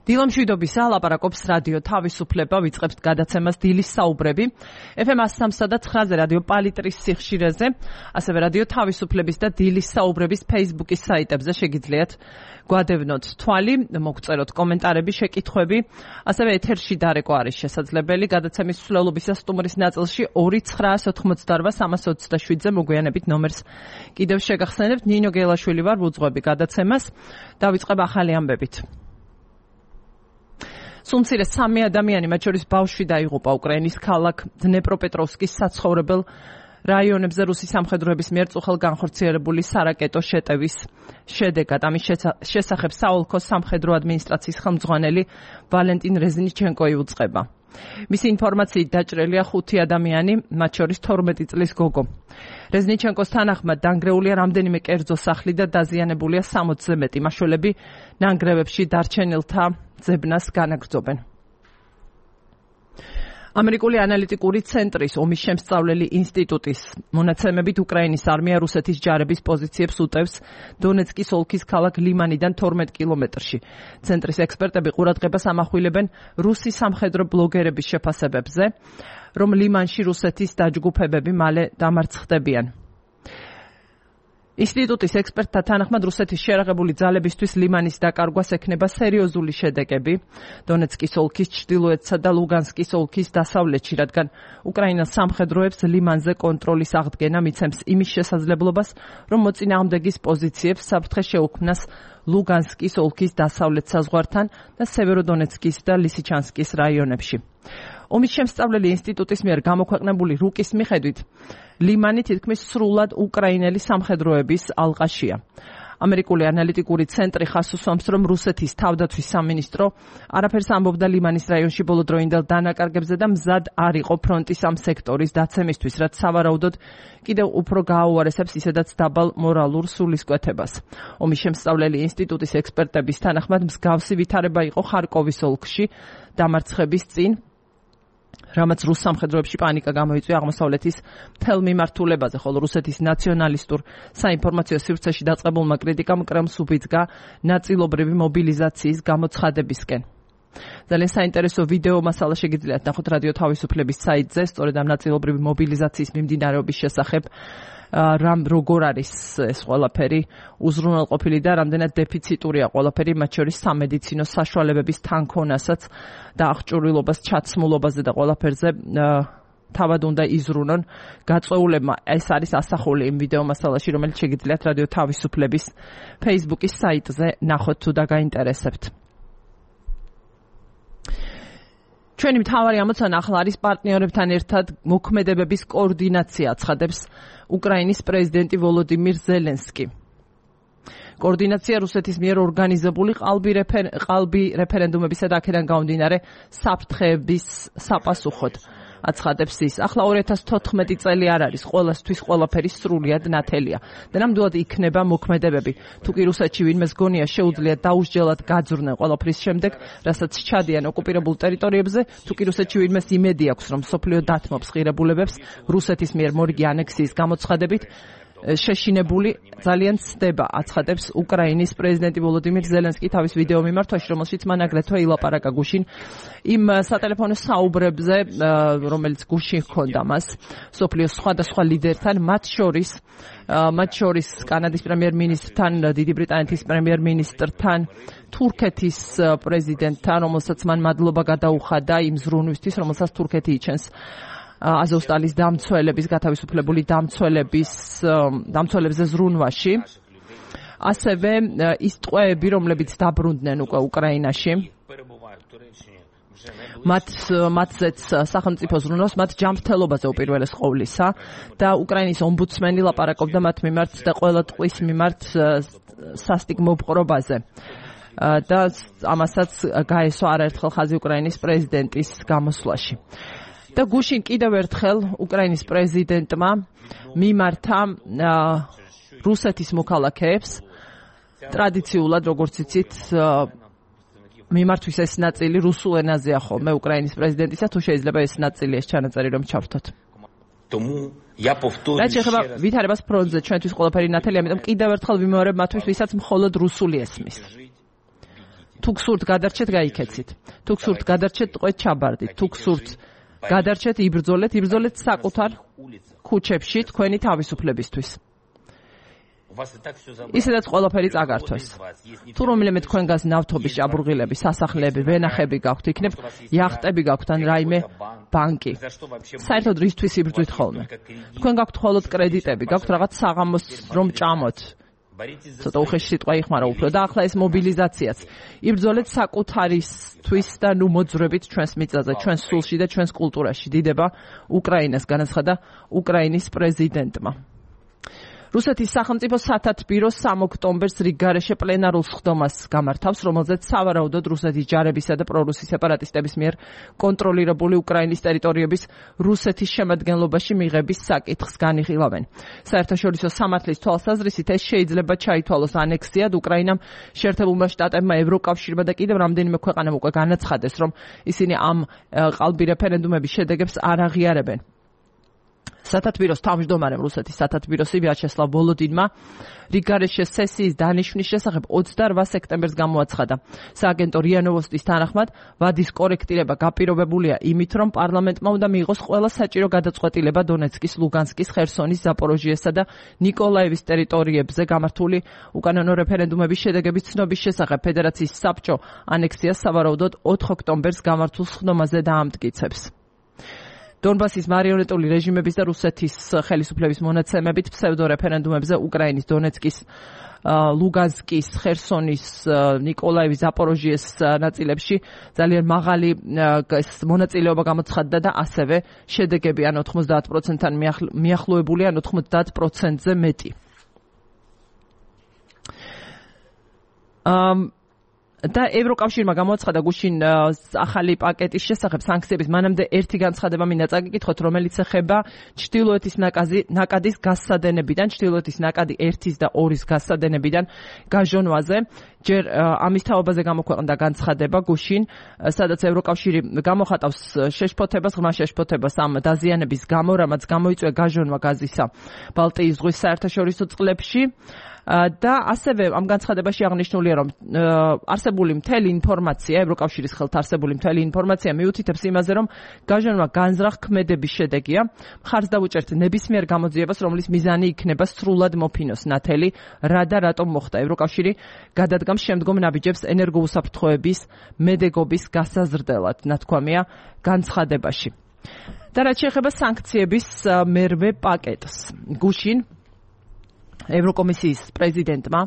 დილამშვიდობის ლაპარაკობს რადიო თავისუფლება, ვიწყებთ გადაცემას დილის საუბრები. FM 103.9-ზე რადიო პალიტრის სიხშირეზე, ასევე რადიო თავისუფლების და დილის საუბრების Facebook-ის საიტებზე შეგიძლიათ გვადევნოთ თვალი, მოგწეროთ კომენტარები, შეკითხვები, ასევე ეთერში დარეკვა არის შესაძლებელი. გადაცემის მსვლელობის და სტუმრის ნაწილში 2-988-327-ზე მოგვიანებით ნომერს კიდევ შეგახსენებთ. ნინო გელაშვილი ვარ, ვუძღვები გადაცემას. დავიწყებ ახალი ამბებით. სულ მცირე 3 ადამიანი, მათ შორის ბავშვი დაიღუპა უკრაინის ქალაქ დნეპროპეტროვსკის საცხოვრებელ რაიონებზე რუსი სამხედროების მიერ წუხელ განხორციელებული სარაკეტო შეტევის შედეგად. ამის შესახებ საოლქოს სამხედრო ადმინისტრაციის ხელმძღვანელი ვალენტინ რეზნიჩენკო იუწყება. მისი ინფორმაციით დაჭრილია 5 ადამიანი, მათ შორის 12 წლის გოგო. რეზნიჩენკოს თანახმად დანგრეულია რამდენიმე კერძო სახლი და დაზიანებულია 60-ზე მეტი. მაშველები ნანგრევებში დარჩენილთა ძებნას განაგრძობენ. ამერიკული ანალიტიკური ცენტრის ომის შემსწავლელი ინსტიტუტის მონაცემებით უკრაინის არმია რუსეთის ჯარების პოზიციებს უტევს დონეცკის ოლქის ქალაქ ლიმანიდან 12 კილომეტრში. ცენტრის ექსპერტები ყურადღებას ამახვილებენ რუსი სამხედრო ბლოგერების შეფასებებზე, რომ ლიმანში რუსეთის დაჯგუფებები მალე დამარცხდებიან. ინსტიტუტის ექსპერტთა თანახმად რუსეთის შერაღებული ძალებისთვის ლიმანის დაკარგვას ექნება სერიოზული შედეგები დონეცკის ოლქის ჩრდილოეთსა და ლუგანსკის ოლქის დასავლეთში, რადგან უკრაინას სამხედროებს ლიმანზე კონტროლის აღდგენა მიცემს იმის შესაძლებლობას, რომ მოწინააღმდეგის პოზიციებს საფრთხე შეუქმნას ლუგანსკის ოლქის დასავლეთ საზღვართან და სევეროდონეცკის და ლისიჩანსკის რაიონებში. ომის შემსწავლელი ინსტიტუტის მიერ გამოქვეყნებული რუკის მიხედვით ლიმანი თითქმის სრულად უკრაინელი სამხედროების ალყაშია. ამერიკული ანალიტიკური ცენტრი ხაზს უსვამს, რომ რუსეთის თავდაცვის სამინისტრო არაფერს ამბობდა ლიმანის რაიონში ბოლოდროინდელ დანაკარგებზე და მზად არ იყო ფრონტის ამ სექტორის დაცემისთვის, რაც სავარაუდოდ კიდევ უფრო გააუარესებს ისედაც დაბალ მორალურ სულისკვეთებას. ომის შემსწავლელი ინსტიტუტის ექსპერტების თანახმად მსგავსი ვითარება იყო ხარკოვის ოლქში დამარცხების წინ, რამაც რუს სამხედროებში პანიკა გამოიწვია აღმოსავლეთის მთელ მიმართულებაზე, ხოლო რუსეთის ნაციონალისტურ საინფორმაციო სივრცეში დაწყებულმა კრიტიკამ კრემლს უბიძგა ნაწილობრივი მობილიზაციის გამოცხადებისკენ. ძალიან საინტერესო ვიდეო მასალა შეგიძლიათ ნახოთ რადიო თავისუფლების საიტზე, სწორედ ამ ნაწილობრივი მობილიზაციის მიმდინარეობის შესახებ, როგორ არის ეს ყველაფერი უზრუნველყოფილი და რამდენად დეფიციტურია ყველაფერი, მათ შორის სამედიცინო საშუალებების თანქონასაც და აღჭურვილობას, ჩაცმულობაზე და ყველაფერზე თავად უნდა იზრუნონ გაწვეულებმა. ეს არის ასახული იმ ვიდეო მასალაში, რომელიც შეგიძლიათ რადიო თავისუფლების Facebook-ის საიტზე ნახოთ თუ და გაინტერესებთ. ჩვენი მთავარი ამოცანა ახლა არის პარტნიორებთან ერთად მოქმედებების კოორდინაცია, აცხადებს უკრაინის პრეზიდენტი ვოლოდიმირ ზელენსკი. კოორდინაცია რუსეთის მიერ ორგანიზებული ყალბი რეფერენდუმებისა და აქედან გამომდინარე საფრთხეების საპასუხოდ, აცხადებს ის. ახლა 2014 წელი არ არის, ყველასთვის ყველაფერი სრულიად ნათელია და ნამდვილად იქნება მოქმედებები. თუ კი რუსეთში ვინმეს გონია შეუძლიათ დაუსჯელად გაძვრნენ ყველაფრის შემდეგ, რასაც ჩადიან ოკუპირებულ ტერიტორიებზე, თუ კი რუსეთში ვინმეს იმედი აქვს, რომ სოფლიო დათმობს ღირებულებებს რუსეთის მიერ მორიგი ანექსიის გამოცხადებით, შეშინებული ძალიან ცდება, აცხადებს უკრაინის პრეზიდენტი ვოლოდიმირ ზელენსკი თავის ვიდეო მიმართვაში, რომელშიც მან აგრეთვე ილაპარაკა გუშინ იმ სატელეფონო საუბრებზე, რომელიც გუშინ ჰქონდა მას სოფლიოს სხვადასხვა ლიდერთან, მათ შორის კანადის პრემიერ-მინისტრთან, დიდი ბრიტანეთის პრემიერ-მინისტრთან, თურქეთის პრეზიდენტთან, რომელსაც მან მადლობა გადაუხადა იმ ზრუნვისთვის, რომელსაც თურქეთი იჩენს აზოვსტალის დამცველების, გათავისუფლებული დამცველებზე ზრუნვაში. ასევე ის ტყვეები, რომლებიც დაბრუნდნენ უკვე უკრაინაში, მათზეც სახელმწიფო ზრუნავს, მათ ჯანმრთელობაზე უპირველეს ყოვლისა და უკრაინის ომბუდსმენი ლაპარაკობდა მათ მიმართ და ყველა ტყვის მიმართ სასტიკ მოპყრობაზე. და ამასაც გაესვა არაერთხელ ხაზი უკრაინის პრეზიდენტის გამოსვლაში. და გუშინ კიდევ ერთხელ უკრაინის პრეზიდენტმა მიმართა რუსეთის მოქალაქეებს ტრადიციულად, როგორც იცით, მიმართვის ეს ნაწილი რუსულ ენაზეა ხოლმე უკრაინის პრეზიდენტისა, თუ შეიძლება ეს ნაწილი ეს ჩანაწერი რომ ჩავრთოთ. რაც შეეხება ვითარებას ფრონტზე, ჩვენთვის ყველაფერი ნათელია, ამიტომ კიდევ ერთხელ ვიმეორებ მათთვის, ვისაც მხოლოდ რუსული ესმის. თუ გსურთ გადარჩეთ, გაიქეცით. თუ გსურთ გადარჩეთ, ტყვეთ ჩაბარდით. თუ გსურთ გადარჩეთ, იბრძოლეთ საკუთარ ქუჩებში თქვენი თავისუფლებისთვის. ისედაც ყველაფერი წაგართვეს. თუ რომელიმე თქვენგანს ნავთობის ჭაბურღილები, სასახლეები, ვენახები გაქვთ, იქნებ იახტები გაქვთ ან რაიმე ბანკი. საერთოდ რისთვის იბრძვით ხოლმე? თქვენ გაქვთ მხოლოდ კრედიტები, გაქვთ რაღაც საღამოს რომ ჭამოთ. ცოტა უხეში სიტყვა იხმარა უფრო და ახლა ეს მობილიზაციაც. იბრძოლეთ საკუთარისთვის და ნუ მოძრებით ჩვენს მიწაზე, ჩვენს სულში და ჩვენს კულტურაში. დიდება უკრაინას, განაცხადა უკრაინის პრეზიდენტმა. რუსეთის სახელმწიფო სათათბირო 3 ოქტომბერს რიგგარეშე პლენარულ სხდომას გამართავს, რომელზეც სავარაუდოდ რუსეთის ჯარებისა და პრორუსი სეპარატისტების მიერ კონტროლირებული უკრაინის ტერიტორიების რუსეთის შემადგენლობაში მიღების საკითხს განიხილავენ. საერთაშორისო სამართლის თვალსაზრისით ეს შეიძლება ჩაითვალოს ანექსიად უკრაინამ, შეერთებულმა შტატებმა, ევროკავშირმა და კიდევ რამდენიმე ქვეყანამ უკვე განაცხადეს, რომ ისინი ამ ყალბი რეფერენდუმების შედეგებს არ აღიარებენ. სათათბიროს თავმჯდომარემ რუსეთის სათათბიროსი ვიაჩესლავ ვოლოდინმა რიგგარეშე სესიის დანიშვნის შესახებ 28 სექტემბერს გამოაცხადა. სააგენტო რია ნოვოსტის თანახმად, ვადის კორექტირება გაპირობებულია იმით, რომ პარლამენტმა უნდა მიიღოს ყველა საჭირო გადაწყვეტილება დონეცკის, ლუგანსკის, ხერსონის, ზაპოროჟიესა და ნიკოლაევის ტერიტორიებზე გამართული უკანონო რეფერენდუმების შედეგების ცნობის შესახებ. ფედერაციის საბჭო ანექსიას სავარაუდოდ 4 ოქტომბერს გამართულ სხდომაზე დაამტკიცებს. დონბასის მარიონეტული რეჟიმების და რუსეთის ხელისუფლების მონაცემებით ფსევდორეფერენდუმებზე უკრაინის დონეცკის, ლუგანსკის, ხერსონის, ნიკოლაევის, ზაპოროჟიეს ნაწილებში ძალიან მაღალი მონაწილეობა გამოცხადდა და ასევე შედეგები ან 90%-თან მიახლოებული ან 90%-ზე მეტი. და ევროკავშირმა გამოაცხადა გუშინ ახალი პაკეტის შესახებ სანქციების მანამდე ერთი განცხადება მინდა წაგიკითხოთ, რომელიც ეხება ჩრდილოეთის ნაკადის გასადენებიდან, ჩრდილოეთის ნაკადი 1 და 2 გასადენებიდან გაჟონვაზე. ჯერ ამის თაობაზე გამოქვეყნდა განცხადება გუშინ, სადაც ევროკავშირი გამოხატავს შეშფოთებას, ღრმა შეშფოთებას ამ დაზიანების გამო, რამაც გამოიწვია გაჟონვა გაზისა ბალტიის ზღვის საერთაშორისო წყლებში. და ასევე ამ განცხადებაში აღნიშნულია, რომ არსებული მთელი ინფორმაცია, ევროკავშირის ხელთ არსებული მთელი ინფორმაცია მიუთითებს იმაზე, რომ გაჟონვა განზრახ ქმედების შედეგია. მხარს დავუჭერთ ნებისმიერ გამოძიებას, რომლის მიზანი იქნება სრულად მოფინოს ნათელი, რა და რატომ მოხდა. ევროკავშირი გადადგამს შემდგომ ნაბიჯებს ენერგოუსაფრთხოების მედეგობის გასაზრდელად, ნათქვამია განცხადებაში. და რაც შეეხება სანქციების მერვე პაკეტს. გუშინ ევროკომისიის პრეზიდენტმა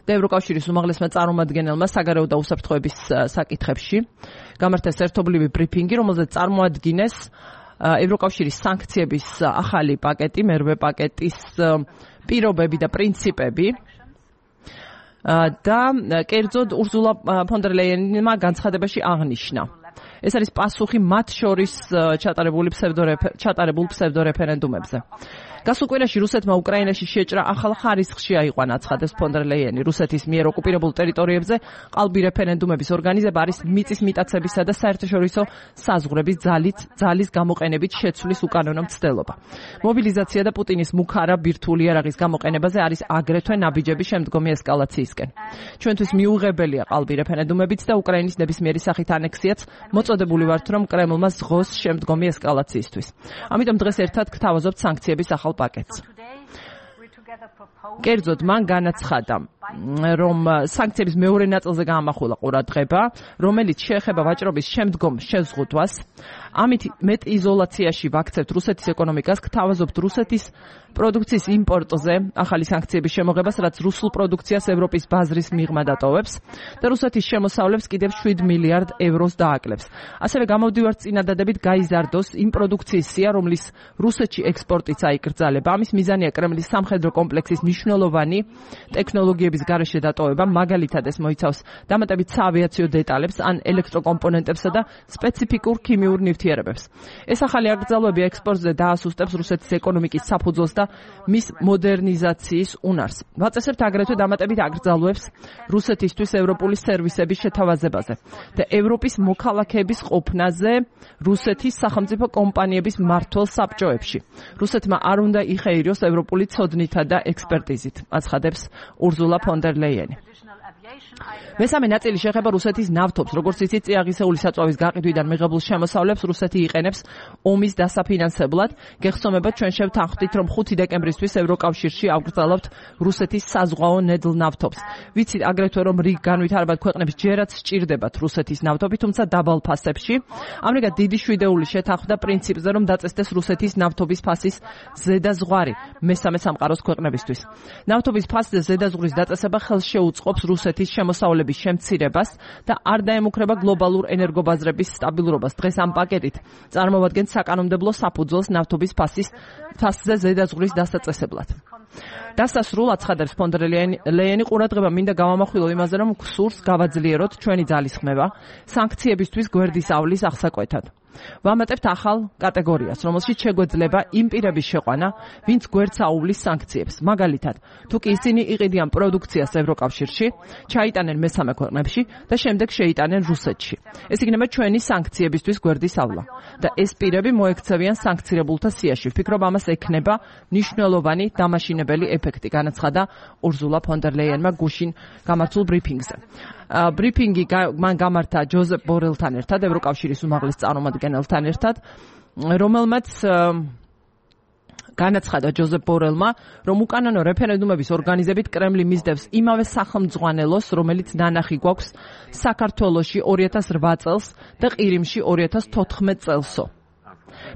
და ევროკავშირის უმაღლესმა წარმომადგენელმა საგარეო და უსაფრთხოების საკითხებში გამართეს ერთობლივი ბრიფინგი, რომელზეც წარმოადგინეს ევროკავშირის სანქციების ახალი პაკეტი, მერვე პაკეტის პირობები და პრინციპები. და კერძოდ ურსულა ფონ დერ ლაიენმა განცხადებაში აღნიშნა. ეს არის პასუხი მათ შორის ჩატარებულ ფსევდორეფერენდუმებზე. გასულ კვირაში რუსეთმა უკრაინაში შეჭრა ახალ ხარისხში აიყვანა, აცხადებს ფონ დერ ლაიენი. რუსეთის მიერ ოკუპირებულ ტერიტორიებზე ყალბი რეფერენდუმების ორგანიზება არის მიწის მიტაცებისა და საერთაშორისო საზღვრების ძალის გამოყენებით შეცვლის უკანონო მცდელობა. მობილიზაცია და პუტინის მუქარა ბირთვული იარაღის გამოყენებაზე არის აგრეთვე ნაბიჯები შემდგომი ესკალაციისკენ. ჩვენთვის მიუღებელია ყალბი რეფერენდუმებიც და უკრაინის ნებისმიერი სახით ანექსიაც მოწოდებული ვართ, რომ კრემლმა ზღოს შემდგომი ესკალაციისთვის. ამიტომ დღეს ერთად გთავაზობთ სანქციების ახალ პაკეტს. კერძოდ მან განაცხადა, რომ სანქციების მეორე ნაწილზე გაამახვილა ყურადღება, რომელიც შეეხება ვაჭრობის შემდგომ შეზღუდვას. ამით მეტ იზოლაციაში ვაქცევთ რუსეთის ეკონომიკას, გთავაზობთ რუსეთის პროდუქციის იმპორტზე ახალი სანქციების შემოღებას, რაც რუსულ პროდუქციას ევროპის ბაზრის მიღმა დატოვებს და რუსეთის შემოსავლებს კიდევ 7 მილიარდ ევროს დააკლებს. ასევე გამოვდივართ წინადადებით გაიზარდოს იმ პროდუქციის სია, რომლის რუსეთში ექსპორტიც აიკრძალება. ამის მიზანია კრემლის სამხედრო კომპლექსის მნიშვნელოვანი ტექნოლოგიების გარეშე დატოვება, მაგალითად ეს მოიცავს დამატებით საავიაციო დეტალებს ან ელექტროკომპონენტებსა და სპეციფიკურ ქიმიურ ნივთიერებებს. ეს ახალი აკრძალვები ექსპორტზე დაასუსტებს რუსეთის ეკონომიკის საფუძველს და მის მოდერნიზაციის უნარს. ვაწესებთ აგრეთვე დამატებით აკრძალვებს რუსეთისთვის ევროპული სერვისების შეთავაზებაზე და ევროპის მოქალაქეების ყოფნაზე რუსეთის სახელმწიფო კომპანიების მმართველ საბჭოებში. რუსეთმა არ უნდა იხეიროს ევროპული ცოდნითა და ექსპერტიზით, აცხადებს ურსულა ფონ დერ ლაიენი. მესამე ნაწილი შეეხება რუსეთის ნავთობს, როგორც იცით, წიაღისეული საწვავის გაყიდვიდან მიღებულ შემოსავლებს რუსეთი იყენებს ომის დასაფინანსებლად. გეხსოვებათ, ჩვენ შევთანხმდით, რომ 5 დეკემბრისთვის ევროკავშირში ავკრძალავთ რუსეთის საზღვაო ნედლ ნავთობს. ვიცით აგრეთვე, რომ რიგ განვითარებად ქვეყნებს ჯერაც სჭირდებათ რუსეთის ნავთობი, თუმცა დაბალ ფასებში. ამრიგად დიდი შვიდეული შეთანხმდა პრინციპზე, რომ დაწესდეს რუსეთის ნავთობის ფასის ზედაზღვარი მესამე სამყაროს ქვეყნებისთვის. ნავთობის ფასზე ზედაზღვრის დაწესება ხელს შეუწყობს რუსეთის შემოსავლების შემცირებას და არ დაემუქრება გლობალურ ენერგობაზრების სტაბილურობას. დღეს ამ პაკეტით წარმოვადგენთ საკანონმდებლო საფუძველს ნავთობის ფასზე ზედაზღვრის დასაწესებლად. დასასრულ აცხადებს ფონ დერ ლეენი ყურადღება მინდა გავამახვილო იმაზე, რომ გსურს გავაძლიეროთ ჩვენი ძალისხმევა სანქციებისთვის გვერდის ავლის აღსაკვეთად. ვამატებთ ახალ კატეგორიას, რომელშიც შეგვეძლება იმ პირების შეყვანა, ვინც გვერდს აუვლის სანქციებს. მაგალითად, თუ კი ისინი იყიდიან პროდუქციას ევროკავშირში, ჩაიტანენ მესამე ქვეყნებში და შემდეგ შეიტანენ რუსეთში. ეს იქნება ჩვენი სანქციებისთვის გვერდის ავლა და ეს პირები მოექცევიან სანქცირებულთა სიაში. ვფიქრობ, ამას ექნება მნიშვნელოვანი დამაშინებელი ეფექტი, განაცხადა ურზულა ფონ დერ ლეიენმა გუშინ გამართულ ბრიფინგზე. ბრიფინგი მან გამართა ჯოზეფ ბორელთან ერთად, ევროკავშირის უმაღლეს წარმომადგენელთან ერთად, რომელმაც განაცხადა ჯოზეფ ბორელმა, რომ უკანონო რეფერენდუმების ორგანიზებით კრემლი მისდევს იმავე სახელმძღვანელოს, რომელიც ნანახი გვაქვს საქართველოში 2008 წელს და ყირიმში 2014 წელსო.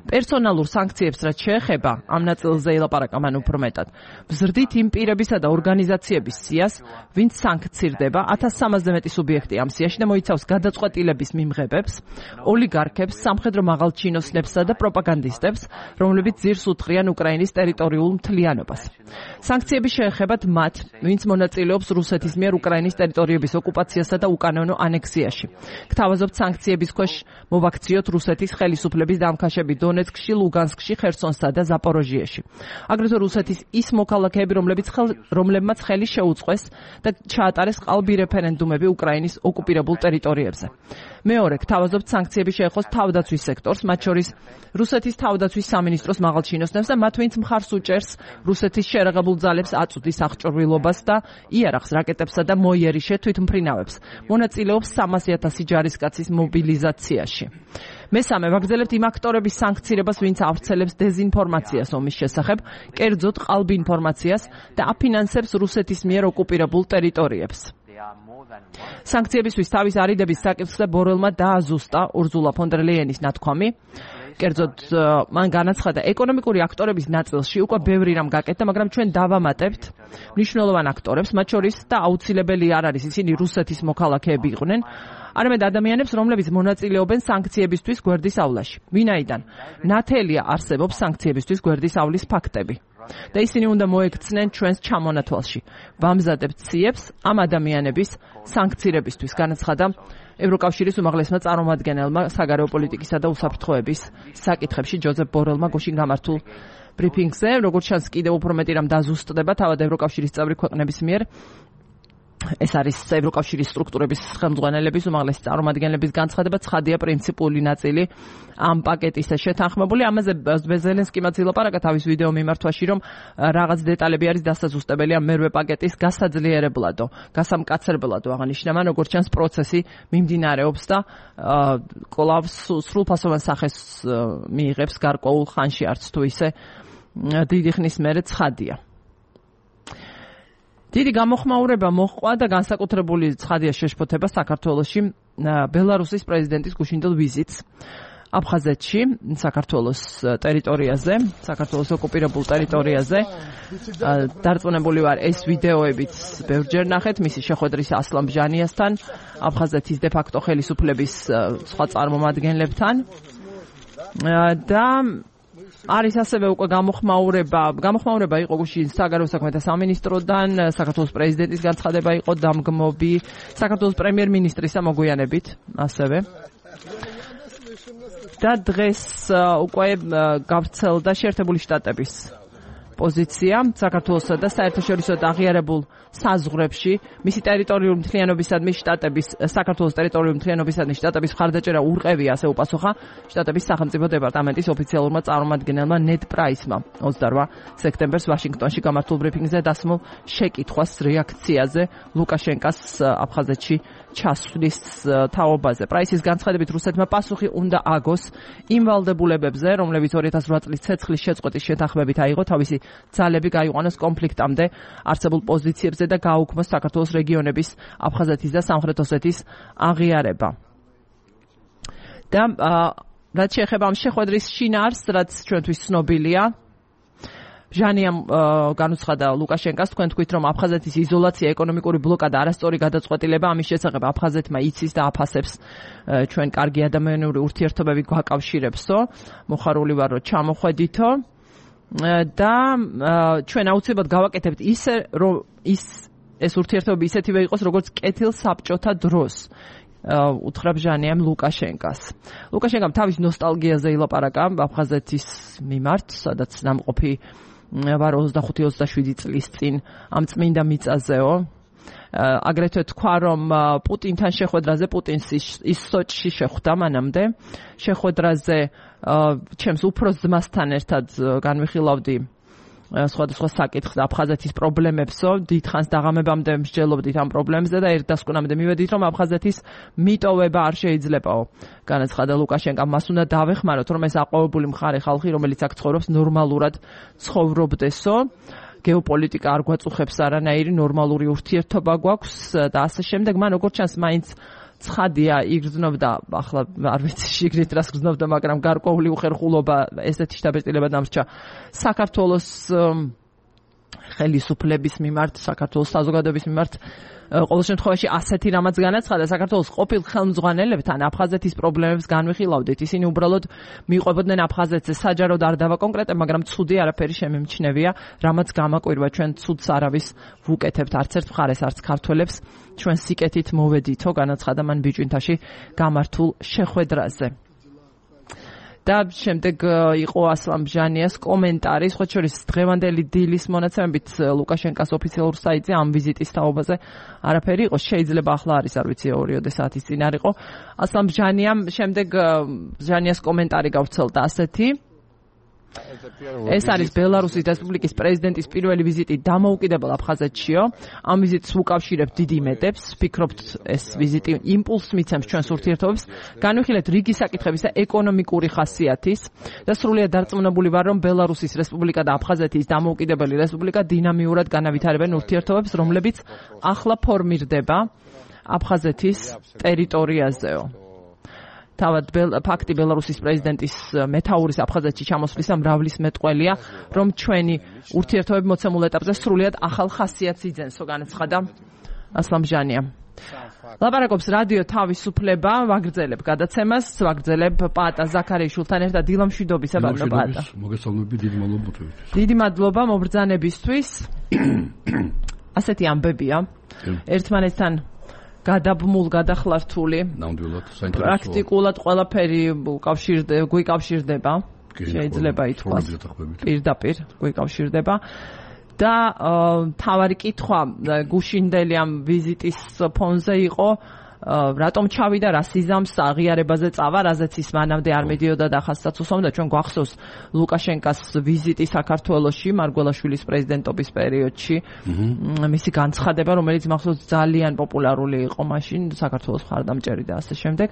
პერსონალურ სანქციებს რაც შეეხება, ამ ნაწილზე ელაპარაკა მან უფრო მეტად. ვზრდით იმ პირებისა და ორგანიზაციების სიას, ვინც სანქცირდება, 1300-ზე მეტი სუბიექტი ამ სიაში და მოიცავს გადაწყვეტილების მიმღებებს, ოლიგარქებს, სამხედრო მაღალჩინოსნებსა და პროპაგანდისტებს, რომლებიც ძირს უთხრიან უკრაინის ტერიტორიულ მთლიანობას. სანქციები შეეხებათ მათ, ვინც მონაწილეობს რუსეთის მიერ უკრაინის ტერიტორიების ოკუპაციასა და უკანონო ანექსიაში. გთავაზობთ სანქციების ქვეშ მოვაქციოთ რუსეთის ხელისუფლების დამქაშები დონეცკში, ლუგანსკში, ხერსონსა და ზაპოროჟიეში. აგრეთვე რუსეთის ის მოქალაქეები, რომლებმაც ხელი შეუწყეს და ჩაატარეს ყალბი რეფერენდუმები უკრაინის ოკუპირებულ ტერიტორიებზე. მეორე, გთავაზობთ სანქციები შეეხოს თავდაცვის სექტორს, მათ შორის რუსეთის თავდაცვის სამინისტროს მაღალჩინოსნებს და მათ, ვინც მხარს უჭერს რუსეთის შერაღებულ ძალებს აწვდის აღჭურვილობას და იარაღს, რაკეტებსა და მოიერიშე თვითმფრინავებს. მონაწილეობს 300,000 ჯარისკაცის მობილიზაციაში. მესამე, ვაგრძელებთ იმ აქტორების სანქცირებას, ვინც ავრცელებს დეზინფორმაციას ომის შესახებ, კერძოდ ყალბ ინფორმაციას და აფინანსებს რუსეთის მიერ ოკუპირებულ ტერიტორიებს. სანქციებისთვის თავის არიდების საკითხზე ბორელმა დააზუსტა ურზულა ფონ დერ ლეიენის ნათქვამი. კერძოდ მან განაცხადა, ეკონომიკური აქტორების ნაწილში უკვე ბევრი რამ გაკეთდა, მაგრამ ჩვენ დავამატებთ მნიშვნელოვან აქტორებს, მათ შორის და აუცილებელი არ არის ისინი რუსეთის მოქალაქეები იყვნენ, არამედ ადამიანებს, რომლებიც მონაწილეობენ სანქციებისთვის გვერდისავლაში. ვინაიდან ნათელია არსებობს სანქციებისთვის გვერდის ავლის ფაქტები და ისინი უნდა მოექცნენ ჩვენს ჩამონათვალში. ვამზადებთ ციებს ამ ადამიანების სანქცირებისთვის, განაცხადა ევროკავშირის უმაღლესმა წარმომადგენელმა საგარეო პოლიტიკისა და უსაფრთხოების საკითხებში ჯოზეფ ბორელმა გუშინ გამართულ ბრიფინგზე. როგორც ჩანს, კიდევ უფრო მეტი რამ დაზუსტდება თავად ევროკავშირის წევრი ქვეყნების მიერ. ეს არის ევროკავშირის სტრუქტურების ხელმძღვანელების უმაღლესი წარმომადგენლების განცხადება, ცხადია პრინციპული ნაწილი ამ პაკეტისა შეთანხმებული. ამაზე ზელენსკიმაც ილაპარაკა თავის ვიდეო მიმართვაში, რომ რაღაც დეტალები არის დასაზუსტებელი ამ მერვე პაკეტის გასაძლიერებლადო, გასამკაცრებლადო აღნიშნა მან, როგორც ჩანს პროცესი მიმდინარეობს და კვლავ სრულფასოვან სახეს მიიღებს გარკვეულ ხანში, არც თუ ისე დიდი ხნის მერე ცხადია. დიდი გამოხმაურება მოჰყვა და განსაკუთრებული ცხადია შეშფოთება საქართველოში ბელარუსის პრეზიდენტის გუშინდელ ვიზიტს აფხაზეთში, საქართველოს ტერიტორიაზე, საქართველოს ოკუპირებულ ტერიტორიაზე. დარწმუნებული ვარ, ეს ვიდეოებიც ბევრჯერ ნახეთ მისი შეხვედრის ასლან ბჟანიასთან, აფხაზეთის დე ფაქტო ხელისუფლების სხვა წარმომადგენლებთან და არის ასევე უკვე გამოხმაურება იყო გუშინ საგარეო საქმეთა სამინისტროდან, საქართველოს პრეზიდენტის განცხადება იყო დამგმობი, საქართველოს პრემიერ-მინისტრისა მოგვიანებით ასევე. და დღეს უკვე გავრცელდა შეერთებული შტატების პოზიცია საქართველოსა და საერთაშორისო აღიარებულ საზღვრებში მისი ტერიტორიული მთლიანობისადმი შტატების საქართველოს ტერიტორიული მთლიანობისადმი შტატების მხარდაჭერა ურყევია, ასე უპასუხა შტატების სახელმწიფო დეპარტამენტის ოფიციალურმა წარმომადგენელმა ნედ პრაისმა 28 სექტემბერს ვაშინგტონში გამართულ ბრიფინგზე დასმულ შეკითხვას რეაქციაზე ლუკაშენკას აფხაზეთში ჩასვლის თაობაზე. პრაისის განცხადებით რუსეთმა პასუხი უნდა აგოს იმ ვალდებულებებზე, რომლებიც 2008 წლის ცეცხლის შეწყვეტის შეთანხმებით აიღო თავისი ძალები გაიყვანოს კონფლიქტამდე არსებულ პოზიციებზე და გააუქმოს საქართველოს რეგიონების აფხაზეთის და სამხრეთ ოსეთის აღიარება. და რაც შეეხება ამ შეხვედრის შინაარსს, რაც ჩვენთვის ცნობილია, ჟანიამ განუცხადა ლუკაშენკას, თქვენ თქვით, რომ აფხაზეთის იზოლაცია, ეკონომიკური ბლოკადა, არასწორი გადაწყვეტილება ამის შესახებ აფხაზეთმა იცის და აფასებს ჩვენ კარგი ადამიანური ურთიერთობები გვაკავშირებსო, მოხარული ვარ, რომ ჩამოხვედითო და ჩვენ აუცილებლად გავაკეთებთ ისე, რომ ეს ურთიერთობები ისეთივე იყოს, როგორც კეთილ საბჭოთა დროს. უთხრა ჟანიამ ლუკაშენკას. ლუკაშენკამ თავის ნოსტალგიაზე ილაპარაკა აფხაზეთის მიმართ, სადაც ნამყოფი ვარ 25-27 წლის წინ ამ წმინდა მიწაზეო. აგრეთვე თქვა, რომ პუტინთან შეხვედრაზე, პუტინს ის სოჭში შეხვდა მანამდე, შეხვედრაზე ჩემს უფროს ძმასთან ერთად განვიხილავდი სხვადასხვა საკითხს აფხაზეთის პრობლემებსო, დიდხანს დაღამებამდე მსჯელობდით ამ პრობლემებზე და ერთ დასკვნამდე მივედით, რომ აფხაზეთის მიტოვება არ შეიძლებაო. განაცხადა ლუკაშენკამ, მას უნდა დავეხმაროთ, რომ ეს აყვავებული მხარე ხალხი, რომელიც აქ ცხოვრობს, ნორმალურად ცხოვრობდესო. გეოპოლიტიკა არ გვაწუხებს არანაირი, ნორმალური ურთიერთობა გვაქვს და ასე შემდეგ. მან როგორც ჩანს, მაინც ცხადია იგრძნობდა, ახლა არ ვიცი შიგნით რას გრძნობდა, მაგრამ გარკვეული უხერხულობა, ესეთი შთაბეჭდილება დამრჩა საქართველოს ხელისუფლების მიმართ, საქართველოს საზოგადოების მიმართ. ყოველ შემთხვევაში ასეთი რამაც განაცხადა, საქართველოს ყოფილ ხელმძღვანელებთან აფხაზეთის პრობლემებს განვიხილავდით. ისინი უბრალოდ მიყვებოდნენ აფხაზეთზე, საჯაროდ არ დავაკონკრეტებ, მაგრამ ცუდი არაფერი შემიმჩნევია, რამაც გამაკვირვა, ჩვენ ცუდს არავის ვუკეთებთ, არც ერთ მხარეს, არც ქართველებს, ჩვენ სიკეთით მოვედითო, განაცხადა მან ბიჭვინთაში გამართულ შეხვედრაზე. და შემდეგ იყო ასლამ ჟანიას კომენტარი, სხვა შორის დღევანდელი დილის მონაცემებით ლუკაშენკას ოფიციალურ საიტზე ამ ვიზიტის თაობაზე არაფერი იყო, შეიძლება ახლა არის, არ ვიცი 2 საათის წინ არ იყო. ასლამ ჟანიამ შემდეგ ჟანიას კომენტარი გავრცელდა ასეთი: ეს არის ბელარუსის რესპუბლიკის პრეზიდენტის პირველი ვიზიტი დამოუკიდებელ აფხაზეთშიო. ამ ვიზიტს უკავშირებთ დიდ იმედებს. ვფიქრობთ, ეს ვიზიტი იმპულსს მიცემს ჩვენს ურთიერთობებს. განვიხილეთ რიგი საკითხების და ეკონომიკური ხასიათის და სრულიად დარწმუნებული ვარ, რომ ბელარუსის რესპუბლიკა და აფხაზეთის დამოუკიდებელი რესპუბლიკა დინამიურად განავითარებენ ურთიერთობებს, რომლებიც ახლა ფორმირდება აფხაზეთის ტერიტორიაზეო. თავად ფაქტი ბელარუსის პრეზიდენტის მეთაურის აფხაზეთში ჩამოსვლისა მრავლის მეტყველია, რომ ჩვენი ურთიერთობები მოცემულ ეტაპზე სრულიად ახალ ხასიათს იძენსო, განაცხადა ასლამ ჟანია. ლაპარაკობს რადიო თავისუფლება, ვაგრძელებ გადაცემას, ვაგრძელებ პაატა ზაქარიაშვილთან ერთად დილამშვიდობისა ბატონო პაატა. მოგესალმები, დიდი მადლობა. დიდი მადლობა მობრძანებისთვის. ასეთი ამბებია. ერთმანეთთან გადაბმულ, გადახლართული. ნამდვილად, პრაქტიკულად ყველაფერი გვიკავშირდება. შეიძლება ითქვას. პირდაპირ გვიკავშირდება. და თავარი კითხვა გუშინდელი ამ ვიზიტის ფონზე იყო, რატომ ჩავიდა, რა სიზამს აღიარებაზე წავა, რაზეც ის მანამდე არ მედიოდა და ხასსაც უსვამდა. ჩვენ გვახსოვს ლუკაშენკას ვიზიტი საქართველოში, მარგველაშვილის პრეზიდენტობის პერიოდში, მისი განცხადება, რომელიც მახსოვს ძალიან პოპულარული იყო მაშინ, საქართველოს მხარდამჭერი და ასე შემდეგ.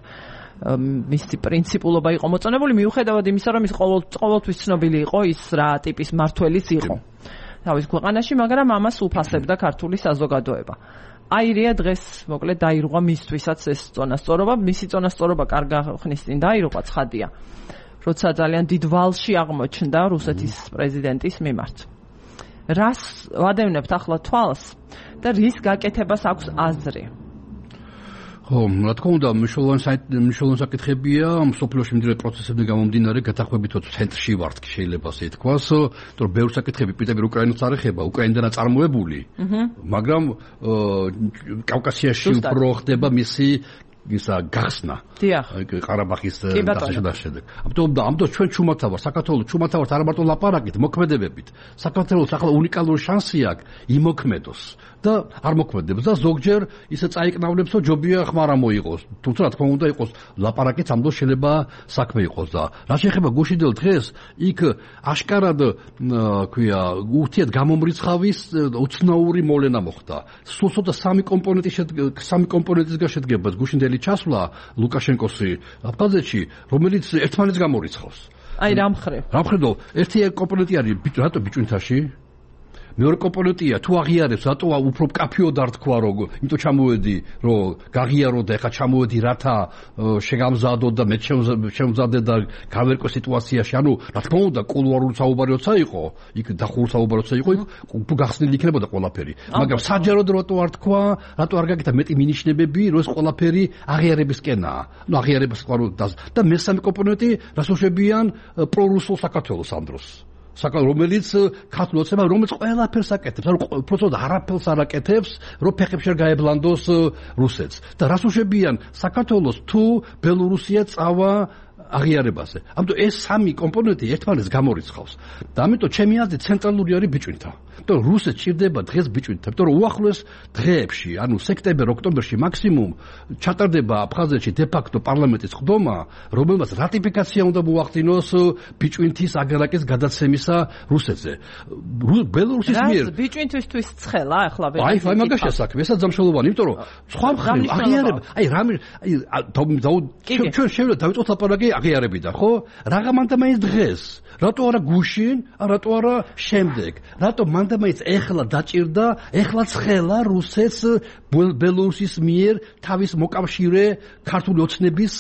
მისი პრინციპულობა იყო მოწონებული, მიუხედავად იმისა, რომ ის ყოველთვის ცნობილი იყო ის რა ტიპის მმართველიც იყო თავის ქვეყანაში, მაგრამ ამას უფასებდა ქართული საზოგადოება. აირია დღეს მოკლედ დაირღვა მისთვისაც ეს წონასწორობა, მისი წონასწორობა კარგა ხნის წინ დაირღვა, ცხადია, როცა ძალიან დიდ ვალში აღმოჩნდა რუსეთის პრეზიდენტის მიმართ. რას ვადევნებთ ახლა თვალს და რის გაკეთებას აქვს აზრი? ხო, რა თქმა უნდა, მნიშვნელოვანი საკითხებია, მსოფლიოში მიმდინარე პროცესებიდან გამომდინარე, გათანხმებითაც ცენტრში ვართ, შეიძლება ასე ითქვას, რომ ბევრი საკითხები პირდაპირ უკრაინას არ ეხება, უკრაინიდან წარმოებული, მაგრამ კავკასიაში უფრო ხდება მისი ისა გახსნა. დიახ. ყარაბაღის დასაშვებად. ამიტომ ჩვენ ჩუმათა ვარ, საქართველოს ჩუმათა ვართ არა მარტო ლაპარაკით, მოქმედებებით. საქართველოს ახლა უნიკალური შანსი აქვს იმოქმედოს და არ მოქმედებს და ზოგჯერ ისე წაიკნავლებს, რომ ჯობია ხმარა მოიყოს. თუმცა რა თქმა უნდა იყოს ლაპარაკით ამ დროს შეიძლება საქმე იყოს და რა შეეხება გუშინდელ დღეს იქ აშკარად ქვია ურთიერთ გამომრიცხავის უცნაური მოვლენა მოხდა. სულ ცოტა სამი კომპონენტისგან შედგება გუშინდელი ჩასვლა ლუკაშენკოსი აფხაზეთში, რომელიც ერთმანეთს გამორიცხავს. აი რა მხრივ? ერთი კომპონენტი არის რატო ბიჭუნთაში? მეორე კომპონენტია თუ აღიარებს რატო უფრო კაფეოდ არ თქვა რომ იმიტომ ჩამოვედი რომ გაღიარო და ეხა ჩამოვედი რათა შეგამზადო და მე შემზადე და გავერკვე სიტუაციაში ანუ რა თქმა უნდა კულუარული საუბარი როცა იყო იქ დახურული საუბარი როცა იყო იქ გახსნილი იქნებოდა ყველაფერი მაგრამ საჯაროდ რატო არ თქვა რატო არ გაკეთა მეტი მინიშნებები რომ ეს ყველაფერი აღიარებისკენაა ნუ აღიარებას ყარო და მესამე კომპონენტი რასოშებიან პრორუსულ საქართველოს ამ დროს რომელიც ქართულ ოცნება რომელიც ყველაფერს აკეთებს ანუ უბრალოდ არაფერს არ აკეთებს რომ ფეხებში გაებლანდოს რუსეთს და რას უშვებიან საქართველოს თუ ბელორუსია წავა აღიარებაზე ამიტომ ეს სამი კომპონენტი ერთმანეთს გამორიცხავს და ამიტომ ჩემი აზრით ცენტრალური არის ბიჭვინთა იმიტომ რომ რუსეთს ჭირდება დღეს ბიჭვინთა იმიტომ რომ უახლოეს დღეებში ანუ სექტემბერ-ოქტომბერში მაქსიმუმ ჩატარდება აფხაზეთში დე-ფაქტო პარლამენტის ხდომა რომელმაც რატიფიკაცია უნდა მოახდინოს ბიჭვინთის აგარაკის გადაცემისა რუსეთზე ბელორუსის მიერ ბიჭვინთისთვის ცხელა ახლა აი მაგაშია საქმე ესაც დამშველოვანი იმიტომ რომ სხვა მხრივ აღიარება აი რამე ჩვენ შევიდა დავიწყოთ ლაპარაკი აღიარებიდან ხო რაღა მანდამაინც დღეს რატო არა გუშინ რატო არა შემდეგ რატო მანდამაინც ეხლა დაჭირდა ეხლა ცხელა რუსეთს ბელორუსის მიერ თავის მოკავშირე ქართული ოცნების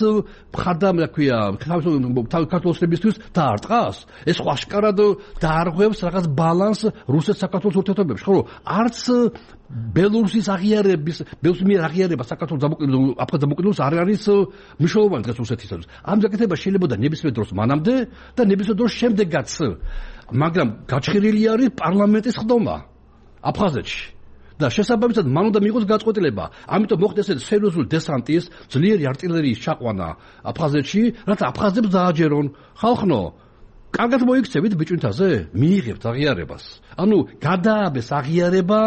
მხარდამ რა ქვია ქართული ოცნებისთვის დაარტყას ეს ხო აშკარად დაარღვევს რაღაც ბალანს რუსეთ საქართველოს ურთიერთობებში ხო არც ბელორუსის აღიარების ბელორუსის მიერ აღიარება საქართველოს აფხაზ დამოუკიდებლობას არ არის მნიშვნელოვანი დღეს რუსეთისათვის ამ გაკეთება შეიძლება და ნებისმიერ დროს მანამდე და ნებისმიერ დროს შემდეგაც მაგრამ გაჩხერილი არის პარლამენტის ხდომა აფხაზეთში და შესაბამისად მან უნდა მიიღოს გაწყვეტილება ამიტომ მოხდეს ეს სერიოზული დესანტის ძლიერი артиლერიის ჩაყვანა აფხაზეთში რათა აფხაზებს დააჯერონ ხალხნო კარგად მოიქცევით ბიჭვინთაზე მიიღებთ აღიარებას ანუ გადააბეს აღიარება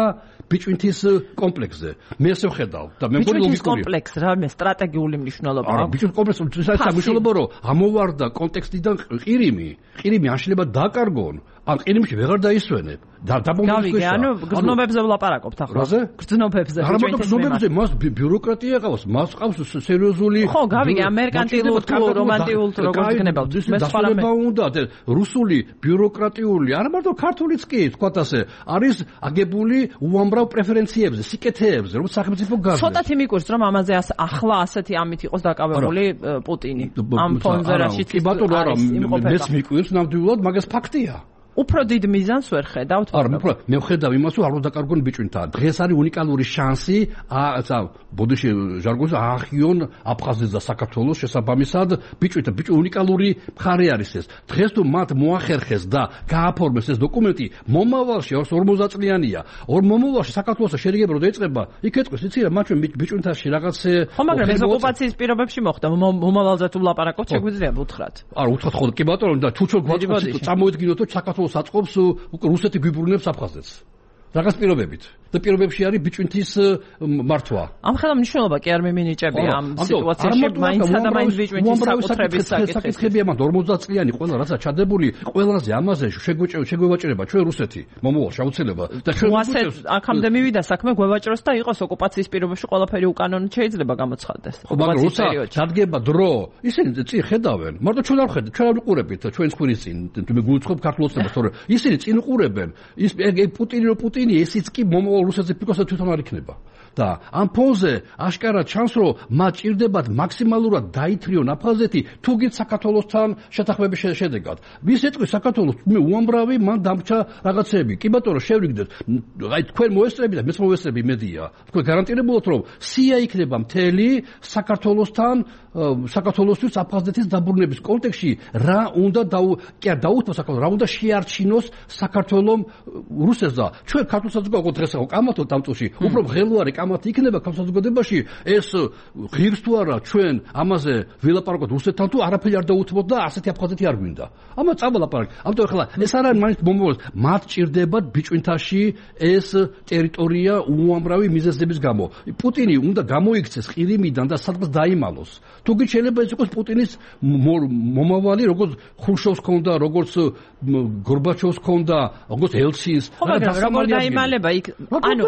ბიჭვინთის კომპლექსზე მე ესე ვხედავ და მე მგონი ლოგიკურია კომპლექს რა მე სტრატეგიული მნიშვნელობა აქვს ბიჭვინთის კომპლექსი საერთოდ მნიშვნელობა რომ ამოვარდა კონტექსტიდან ყირიმი ან შეიძლება დაკარგონ ან ყირიმში ვეღარ დაისვენებ და გავიგე ანუ გრძნობებზე ვლაპარაკობთ ახლა გრძნობებზე არა მაგრამ გრძნობებზე მას ბიუროკრატია ყავს მას ყავს სერიოზული ხო გავიგე ამ მერკანტილურ თუ რომანტიულ თუ როგორ გქნებავთ მე სხვა უნდა რუსული ბიუროკრატიული არა მარტო ქართულიც კი თქვათ ასე არის აგებული უამრავ პრეფერენციებზე სიკეთეებზე რომ სახელმწიფო გაზრდა ცოტათი მიკურს რომ ამაზე ახლა ასეთი ამით იყოს დაკავებული პუტინი ამ ფონზე რაშიც კი ბატონო არა მეც მიკურს ნამდვილად მაგას ფაქტია უფრო დიდ მიზანს ვერ ხედავთ არა უფრო მე ვხედავ იმას რომ არ უნდა დაკარგონ ბიჭვინთა დღეს არის უნიკალური შანსი ბოდიში ჟარგონზე აახიონ აფხაზეთს და საქართველოს შესაბამისად ბიჭვინთა უნიკალური მხარე არის ეს დღეს თუ მათ მოახერხეს და გააფორმეს ეს დოკუმენტი მომავალში 40 წლიანია მომავალში საქართველოს შერიგება რო დაიწყება იქ ეთქვის იცი რა მათ ბიჭვინთაში რაღაცე ხო მაგრამ ეს ოკუპაციის პირობებში მოხდა მომავალზე თუ ვლაპარაკობთ შეგვიძლია უთხრათ არა უთხრათ ხოლმე კი ბატონო და თუ ჩვენ გვაწყობს წამოედგინოთ რომ საქართველოს საწყობს რუსეთი გვიბრუნებს აფხაზეთს რაღაც პირობებით და პირობებში არის ბიჭვინთის მართვა ამ ხელა მნიშვნელობა კი არ მიმინიჭებია ამ სიტუაციაში მაინც და მაინც ბიჭვინთის საკუთრების საკითხები ამ 40 წლიანი ყველა რაცა ჩადებული ყველაზე ამაზე შეგვევაჭრება ჩვენ რუსეთი მომავალ შეუცელება და ჩვენ აქამდე მივიდა საქმე გვევაჭროს და იყოს ოკუპაციის პირობებში ყველაფერი უკანონოდ შეიძლება გამოცხადდეს ხო მაგრამ როცა დადგება დრო ისინი წინ ხედავენ მარტო ჩვენ არ ხედავთ ჩვენ არ ვიყურებით ჩვენს ხვირის წინ მე გულწრფობ ქართულოცნებას თორე ისინი წინ უყურებენ ის პუტინი ესიც კი მომავალ რუსეთზე ფიქრობთ თვითონ არ იქნება და ამ ფონზე აშკარად ჩანს რომ მათ ჭირდებათ მაქსიმალურად დაითრიონ აფხაზეთი თუ გით საქართველოსთან შეთანხმების შედეგად ვის ეტყვის საქართველოს მე უამრავი მან დამრჩა რაღაცები კი ბატონო შევრიგდეთ აი თქვენ მოესწრებით და მეც მოვესწრები იმედია თქვენ გარანტირებულად რომ სია იქნება მთელი საქართველოსთან საქართველოსთვის აფხაზეთის დაბრუნების კონტექსტში რა უნდა დაუთმოს საქართველოს რა უნდა შეარჩინოს საქართველოს რუსეთს და ჩვენ ქართულ საზოგადოებას დღეს ახლა კამათობთ ამ წუთში უფრო ღელვარი კამათი იქნება საზოგადოებაში, ეს ღირს თუ არა ჩვენ ამაზე ვილაპარაკოთ რუსეთთან თუ არაფერი არ დაუთმოთ და ასეთი აფხაზეთი არ გვინდა. ამას წავალაპარაკ. ამიტომ ახლა ეს არ არის მაინც მომავალ მათ ჭირდებათ ბიჭვინთაში ეს ტერიტორია უამრავი მიზეზების გამო. პუტინი უნდა გამოიქცეს ყირიმიდან და სადღაც დაიმალოს. თუ კი შეიძლება ეს იყოს პუტინის მომავალი, როგორც ხრუშოვს ქონდა, როგორც გორბაჩოვს ქონდა, როგორც ელცინს. როგორ დაიმალება იქ? ანუ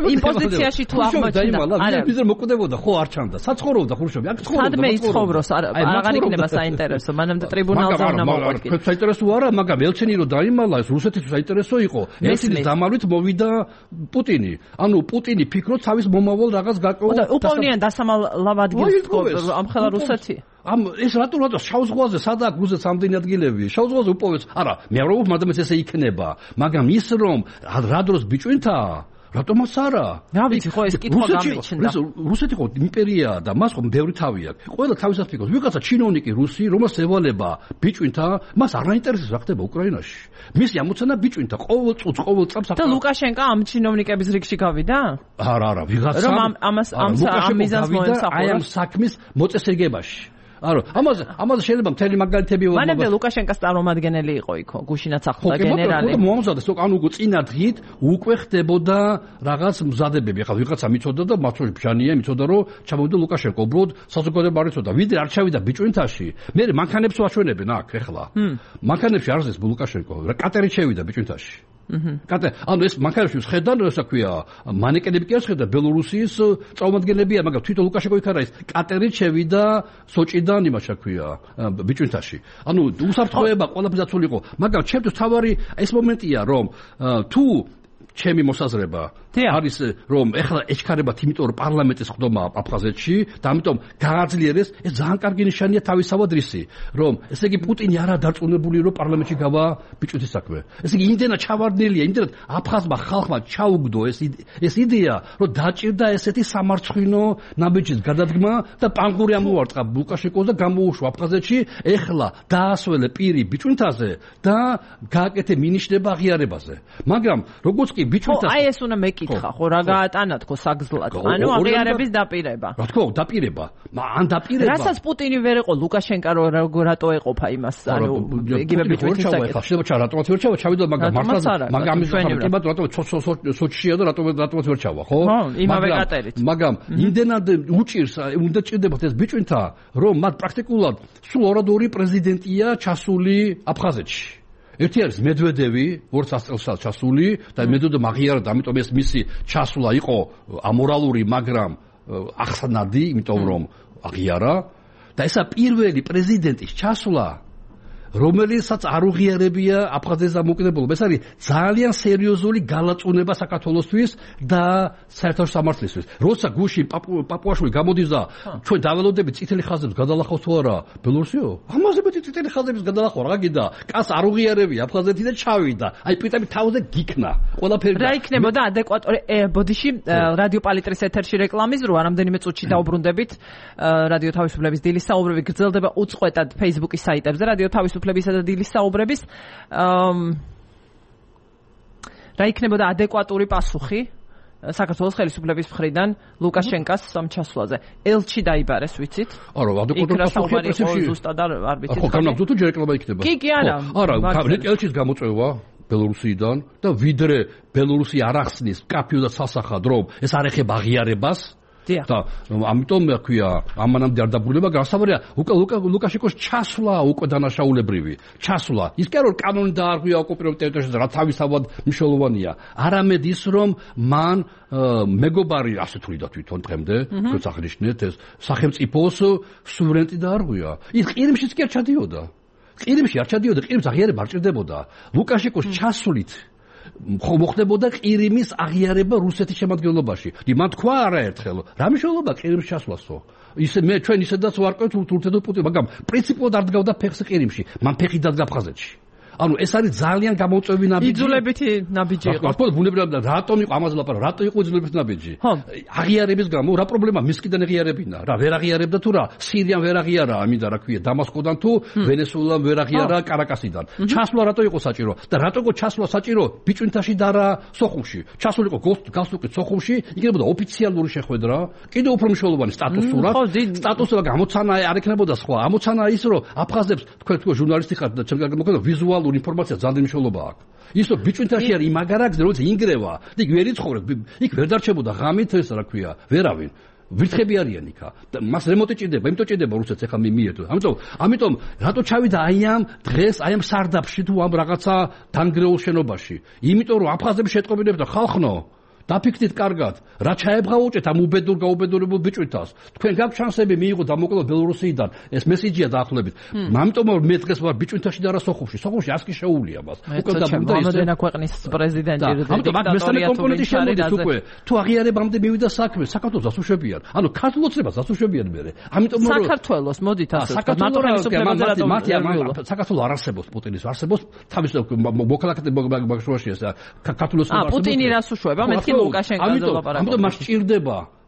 იმ პოზიციაში თუ აღმოჩნდა, არა, ის მოკვდებოდა, ხო არ ჩანდა. საცხოვრობდა ხრუშოვი, აქ ცხოვრობდა. სადმე იცხოვროს, აღარ იქნება საინტერესო, მანამდე ტრიბუნალზე უნდა მოყვარკი. საინტერესო არა, მაგრამ ელცინი რო დაიმალა, ეს რუსეთის საინტერესო იყო. ელცინის დამალვით მოვიდა პუტინი. ანუ პუტინი ფიქრობს თავის მომავალ რაღაც გაკეთებულ. უპოვნიან დასამალავ ადგილს ამ ხელა რუსეთი. ეს რატო შავ ზღვაზე სადაა გუზეთ სამდენი ადგილები? შავ ზღვაზე უპოვეს. არა, მე არ ვუყურებ, მაგრამ ესე იქნება. მაგრამ ის რომ რა დროს ბიჭვინთაა რატომაც არა? რა ვიცი, ხო ეს კითხვა გამიჩნდა. რუსეთი ხო იმპერიაა და მას ხო ბევრი თავი აქვს. ყველა თავისას ფიქრობს. ვიღაცა ჩინოვნიკი რუსი, რომელს ევალება ბიჭვინთა, მას არ აინტერესებს რა ხდება უკრაინაში. მისი ამოცანა ბიჭვინთა ყოველ წუთს, ყოველ წამს. და ლუკაშენკა ამ ჩინოვნიკების რიგში გავიდა? არა, ვიღაცა რომ ამას ამ მიზანს მოემსახურა. აი ამ საქმის მოწესრიგებაში. არა, ამაზე შეიძლება მთელი მაგალითები ვამბობ. მანამდე ლუკაშენკას წარმომადგენელი იყო იქო, გუშინაც ახლდა გენერალი. ხო, მომზადდა, ანუ წინა დღით უკვე ხდებოდა რაღაც მზადებები. ახლა ვიღაცა მიცოდა და მათში ბჟანია მიცოდა, რომ ჩამოვიდა ლუკაშენკო, უბრალოდ საზოგადოება არ იცოდა. ვიდრე არ ჩავიდა ბიჭვინთაში, მე მანქანებს ვაჩვენებენ აქ ეხლა. მანქანებში არის ეს ლუკაშენკო, კატერი შევიდა ბიჭვინთაში. ანუ ეს მანქანებში ხედან, რა ქვია, მანეკენები კი არ ხედა, ბელორუსიის წარმომადგენლებია, მაგრამ თვითონ ლუკაშენკო იქ არა ის კატერი შევიდა სოჭიდან იმას ქვია, ბიჭვინთაში. ანუ უსაფრთხოება ყველაფერს დაცული იყო, მაგრამ ჩემთვის თავარი ეს მომენტია, რომ თუ ჩემი მოსაზრება არის რომ ეხლა ეჩქარებათ, იმიტომ რომ პარლამენტის ხდომა აფხაზეთში და ამიტომ გააძლიერეს, ეს ძალიან კარგი ნიშანია თავისავად რისი, რომ ესე იგი პუტინი არა დარწმუნებული რომ პარლამენტში გავა ბიჭვინთის საქმე. ესე იგი იმდენა ჩავარდნელია, იმდენად აფხაზმა ხალხმა ჩაუგდო ეს იდეა, რომ დაჭირდა ესეთი სამარცხვინო ნაბიჯის გადადგმა და პანგური ამოვარტყა ლუკაშენკოს და გამოუშვა აფხაზეთში, ეხლა დაასველე პირი ბიჭვინთაზე და გააკეთე მინიშნება აღიარებაზე. მაგრამ როგორც კი ბიჭვინთას აი ეს უნდა მეკითხა, ხო რა გაატანა თქო საგზლად. ანუ აღიარების დაპირება. რა თქმა უნდა, დაპირება. ან დაპირება. რასაც პუტინი ვერ იყო ლუკაშენკა რატო ეყოფა იმას, ანუ იგივე ბიჭვინთის საკითხი. შეიძლება რატომაც ვერ ჩავა, ჩავიდა, მაგრამ მაგრამ ამის ხარკებად რატო სოჩშია და რატომაც ვერ ჩავა, ხო? იმავე კატერით. მაგრამ იმდენად უჭირს, უნდა ჭირდებათ ეს ბიჭვინთა, რომ მათ პრაქტიკულად სულ ორადორი პრეზიდენტია ჩასული აფხაზეთში. ერთი არის მედვედევი 200 წელს ჩასული და მედვედევი აღიარა და ამიტომ ეს მისი ჩასვლა იყო ამორალური, მაგრამ ახსნადი, იმიტომ რომ აღიარა და ესა პირველი პრეზიდენტის ჩასვლა, რომელიცაც არ უღიარებია აფხაზეთის დამოუკიდებლობა. ეს არის ძალიან სერიოზული გალაწუნება საქართველოსთვის და საერთო სამართლისთვის. როცა გუშინ პაპუაშვილი გამოდის და ჩვენ დაველოდებით წითელი ხაზებს გადალახავს თუ არა ბელორუსიო? ამაზე მეტი წითელი ხაზების გადალახვა რა გინდა? კაც არ უღიარებია აფხაზეთი და ჩავიდა. აი პიტები თავზე გიქნა. ყველაფერი რა იქნებოდა ადეკვატური ბოდიში რადიო პალიტრის ეთერში რეკლამის რო რამდენიმე წუთში დაუბრუნდებით რადიო თავისუფლების დილის საუბრები გრძელდება უწყვეტად Facebook-ის საიტებზე რადიო თავისუფლების და დილის საუბრების რა იქნებოდა ადეკვატური პასუხი საქართველოს ხელისუფლების მხრიდან ლუკაშენკას ამ ჩასვლაზე. ელჩი დაიბარეს, ვიცით? არა, ადეკვატური პასუხია პრესებში. ზუსტად არ ვიცით. ხო, განაგზო თუ ჯერ რეკლამა იქნება. კი, არა. არა, ელჩის გამოწვევა ბელორუსიდან და ვიდრე ბელორუსი არ ახსნის კაფეო და სასახად, რომ ეს არ ეხება აღიარებას. და ამიტომ მექვია ამანამდე არ დაბრუნება გასავრია ლუკაშენკოს ჩასვლა უკვე დანაშაულებრივი ჩასვლა ის კი არ რომ კანონი დაარღვია ოკუპირებულ ტერიტორიაზე რა თავისთავად მნიშვნელოვანია არამედ ის რომ მან მეგობარი ასე თვლიდა თვითონ დღემდე როგორც აღნიშნეთ ეს სახელმწიფოს სუვერენიტეტი დაარღვია ის ყირიმშიც კი არ ჩადიოდა ყირიმში არ ჩადიოდა ყირიმს აღიარება არ ჭირდებოდა ლუკაშენკოს ჩასვლით ხო მოხდებოდა ყირიმის აღიარება რუსეთის შემადგენლობაში. მან თქვა არაერთხელ, რა მნიშვნელობა ყირიმს ჩასვლასო? ისე მე ჩვენ ისედაც ვარკვევთ თურქეთო პუტინი, მაგრამ პრინციპულად არ დგავდა ფეხს ყირიმში. მან ფეხი დადგა აფხაზეთში. ანუ ეს არის ძალიან გამოწვევი ნაბიჯი. იძულებითი ნაბიჯი იყო. ხო, ბუნებრივად რატომ იყო ამაზე ლაპარაკი? რატო იყო იძულებითი ნაბიჯი? აღიარების გამო რა პრობლემა მისკიდან აღიარებინა? რა ვერ აღიარებდა თუ რა? სირიამ ვერ აღიარა, ამინდა რა ქვია, დამასკოდან თუ ვენესუელამ ვერ აღიარა კარაკასიდან. ჩასვლა რატო იყო საჭირო? და რატო იყო ჩასვლა საჭირო ბიჭვინთაში და რა სოხუმში? ჩასულიყო გასულიყო სოხუმში, იქნებოდა ოფიციალური შეხვედრა, კიდევ უფრო მნიშვნელოვანი სტატუსურად. სტატუსება გამოცანა არ ექნებოდა სხვა. ამოცანა ის რომ აფხაზებს თქვენ ჟურნალისტი ხართ და ჩემგან მოკლედ ვიზუალური ინფორმაცია ძალიან მნიშვნელობა აქვს. ის რომ ბიჭვინთაში არის იმაგარაკზე, როცა ინგრევა, და იქ ვერ იცხოვრებს, იქ ვერ დარჩებოდა ღამით ეს რა ქვია, ვერავინ. ვირთხები არიან იქა. მას რემონტი ჭირდება, იმიტომ ჭირდება რუსეთს ახლა მიერთო. ამიტომ რატო ჩავიდა აი ამ დღეს, აი ამ სარდაფში თუ ამ რაღაცა დანგრეულ შენობაში? იმიტომ რომ აფხაზები შეტყობინებს და ხალხნო დაფიქრდით კარგად, რა ჩაებღაუჭეთ ამ გაუბედურებულ ბიჭვინთას. თქვენ გაქვთ შანსები მიიღო დამოკლება ბელორუსიიდან. ეს მესიჯია დაახლოებით. ამიტომ მე დღეს ვარ ბიჭვინთაში და რა სოხუმში. სოხუმში ასკი შეუულია მას. უკვე და მომდენა ქვეყნის პრეზიდენტი დიქტატორია უკვე. თუ აღიარებამდე მივიდა საქმე, საქართველოს დასუშვებიან. ანუ ქართულოს treba დასუშვებიან მე. ამიტომ საქართველოს მოდით ასე ვთქვათ. საქართველოს არ არსებობს პუტინის არსებობს თავის მოქალაქეთა ბაგშუაში ეს ქართულოს პუტინი რას უშვება? მეთქი ლუკაშენკოზე ლაპარაკობ. ამიტომ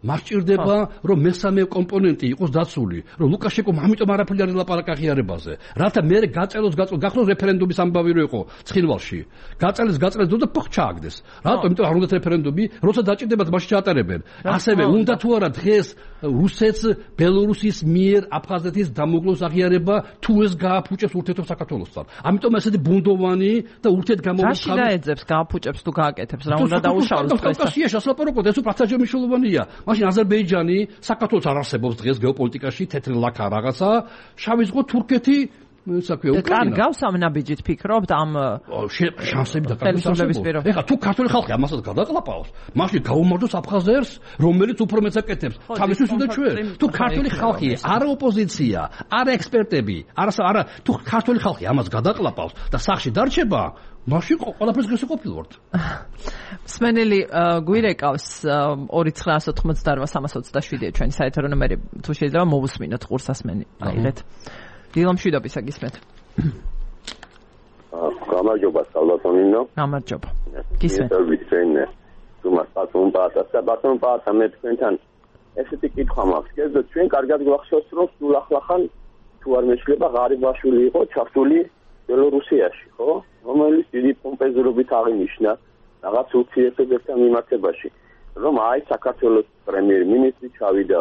მას ჭირდება რომ მესამე კომპონენტი იყოს დაცული, რომ ლუკაშენკომ ამიტომ არაფერი არ ლაპარაკა აღიარებაზე. რათა მე გაწელოს გახსნოს რეფერენდუმის ამბავი რო იყო ცხინვალში. გაწელოს და ფხ ჩააგდეს. რატომ? იმიტომ არ უნდათ რეფერენდუმი, როცა დაჭირდებათ მაშინ ჩაატარებენ. ასევე უნდა თუ არა დღეს რუსეთს ბელორუსის მიერ აფხაზეთის დამოკლოს აღიარება თუ ეს გააფუჭებს ურთიერთობებს საქართველოსთან. ამიტომ ესეთი ბუნდოვანი და ურთიერთგამოვიწყდა. რაში დაეძებს გააფუჭებს თუ გააკეთებს? რა უნდა დაუშავოს დღეს? კავკასიაში ასლაპარაკოთ, ეს უფრო მნიშვნელოვანია. მაშინ აზერბაიჯანი საქართველოს არ არსებობს დღეს გეოპოლიტიკაში, თეთრი ლაქა რაღაცა, შავი ზღვა თურქეთი საქმე უკრაინა. კარგავს ამ ნაბიჯით ფიქრობთ ამ შანსები და კარგავს. ეხლა თუ ქართული ხალხი ამასაც გადაყლაპავს, მაშინ გაუმარჯოს აფხაზერს, რომელიც უფრო მეც აკეთებს. თავისთვის უნდა ჩვენ. თუ ქართული ხალხი, არა ოპოზიცია, არა ექსპერტები, არა თუ ქართული ხალხი ამას გადაყლაპავს და სახში დარჩება, მაშინ ყველაფერს გასაყოფილვართ. მსმენელი გვირეკავს 2988-327-ია ჩვენი საეთერო ნომერი. თუ შეიძლება მოვუსმინოთ ყურსასმენი აიღეთ. დილო მშვიდობისა გისმენთ. გამარჯობა სალვატონინო. გამარჯობა. გისმენთ. ბატონ პაატა მე თქვენთან ესეთი კითხვა მაქვს. გესმით ჩვენ კარგად გვახსოვს რომ სულ ახლახან თუ არ მეშლება ღარიბაშვილი იყო ჩართული ბელორუსიაში, ხო? რომელიც დიდი პომპეზურობით აღინიშნა რაღაც ურთიერთობებთან მიმართებაში, რომ აი საქართველოს პრემიერ-მინისტრი ჩავიდა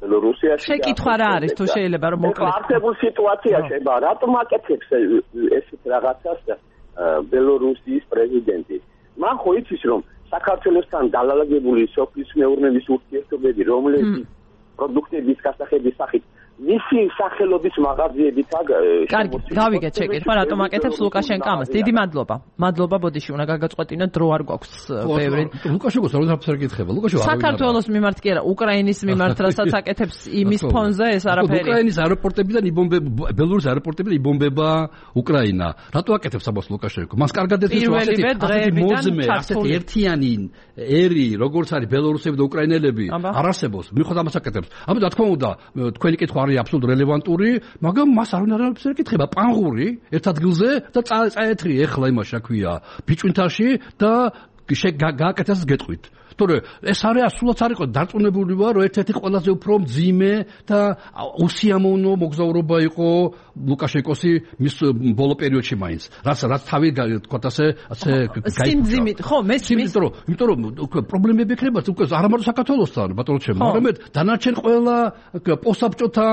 ბელორუსიაში. შეკითხვა რა არის თუ შეიძლება რომ მოკლედ. არსებულ სიტუაციაში რატომ აკეთებს ესეთ რაღაცას ბელორუსიის პრეზიდენტი? მან ხო იცის რომ საქართველოსთან დალალაგებული სოფლის მეურნეობის ურთიერთობები, რომლებიც პროდუქტების გასახების სახით მისი სახელობის მაღაზიებით კარგი, გავიგეთ შეკითხვა, რატომ აკეთებს ლუკაშენკო ამას? დიდი მადლობა. მადლობა, ბოდიში, უნდა გაგაწყვეტინოთ, დრო არ გვაქვს ბევრი. ლუკაშენკოს რა უნდა ეკითხება? ლუკაშენკო საქართველოს მიმართ კი არა, უკრაინის მიმართ, რასაც აკეთებს იმის ფონზე ეს არაფერი. უკრაინის აეროპორტებიდან ბელორუსის აეროპორტებიდან იბომბება უკრაინა. რატო აკეთებს ამას ლუკაშენკო? მას კარგად ეთქვის რომ ასეთი ერთიანი ერი, როგორც არის ბელორუსები და უკრაინელები, არ არსებობს. მიხვდა ამას აკეთებს. ამიტომ რა თქმა უნდა, თქვენი კითხვა არის აბსოლუტურად რელევანტური, მაგრამ მას არ უნდა ეკითხება პანღური ერთ ადგილზე და წაეთრი ეხლა იმაში აქვია ბიჭვინთაში და გააკეთეს გეტყვით. თორე ეს არის სულაც არ იყო დარწმუნებული ვარ რომ ერთ-ერთი ყველაზე უფრო მძიმე და უსიამოვნო მოგზაურობა იყო ლუკაშენკოსი მის ბოლო პერიოდში მაინც. რაც თავი თქვა ასე სიმძიმით ხო მესმის იმიტომ რომ პრობლემები ექნება უკვე არა მარტო საქართველოსთან ბატონო ჩემო, არამედ დანარჩენ ყველა პოსტსაბჭოთა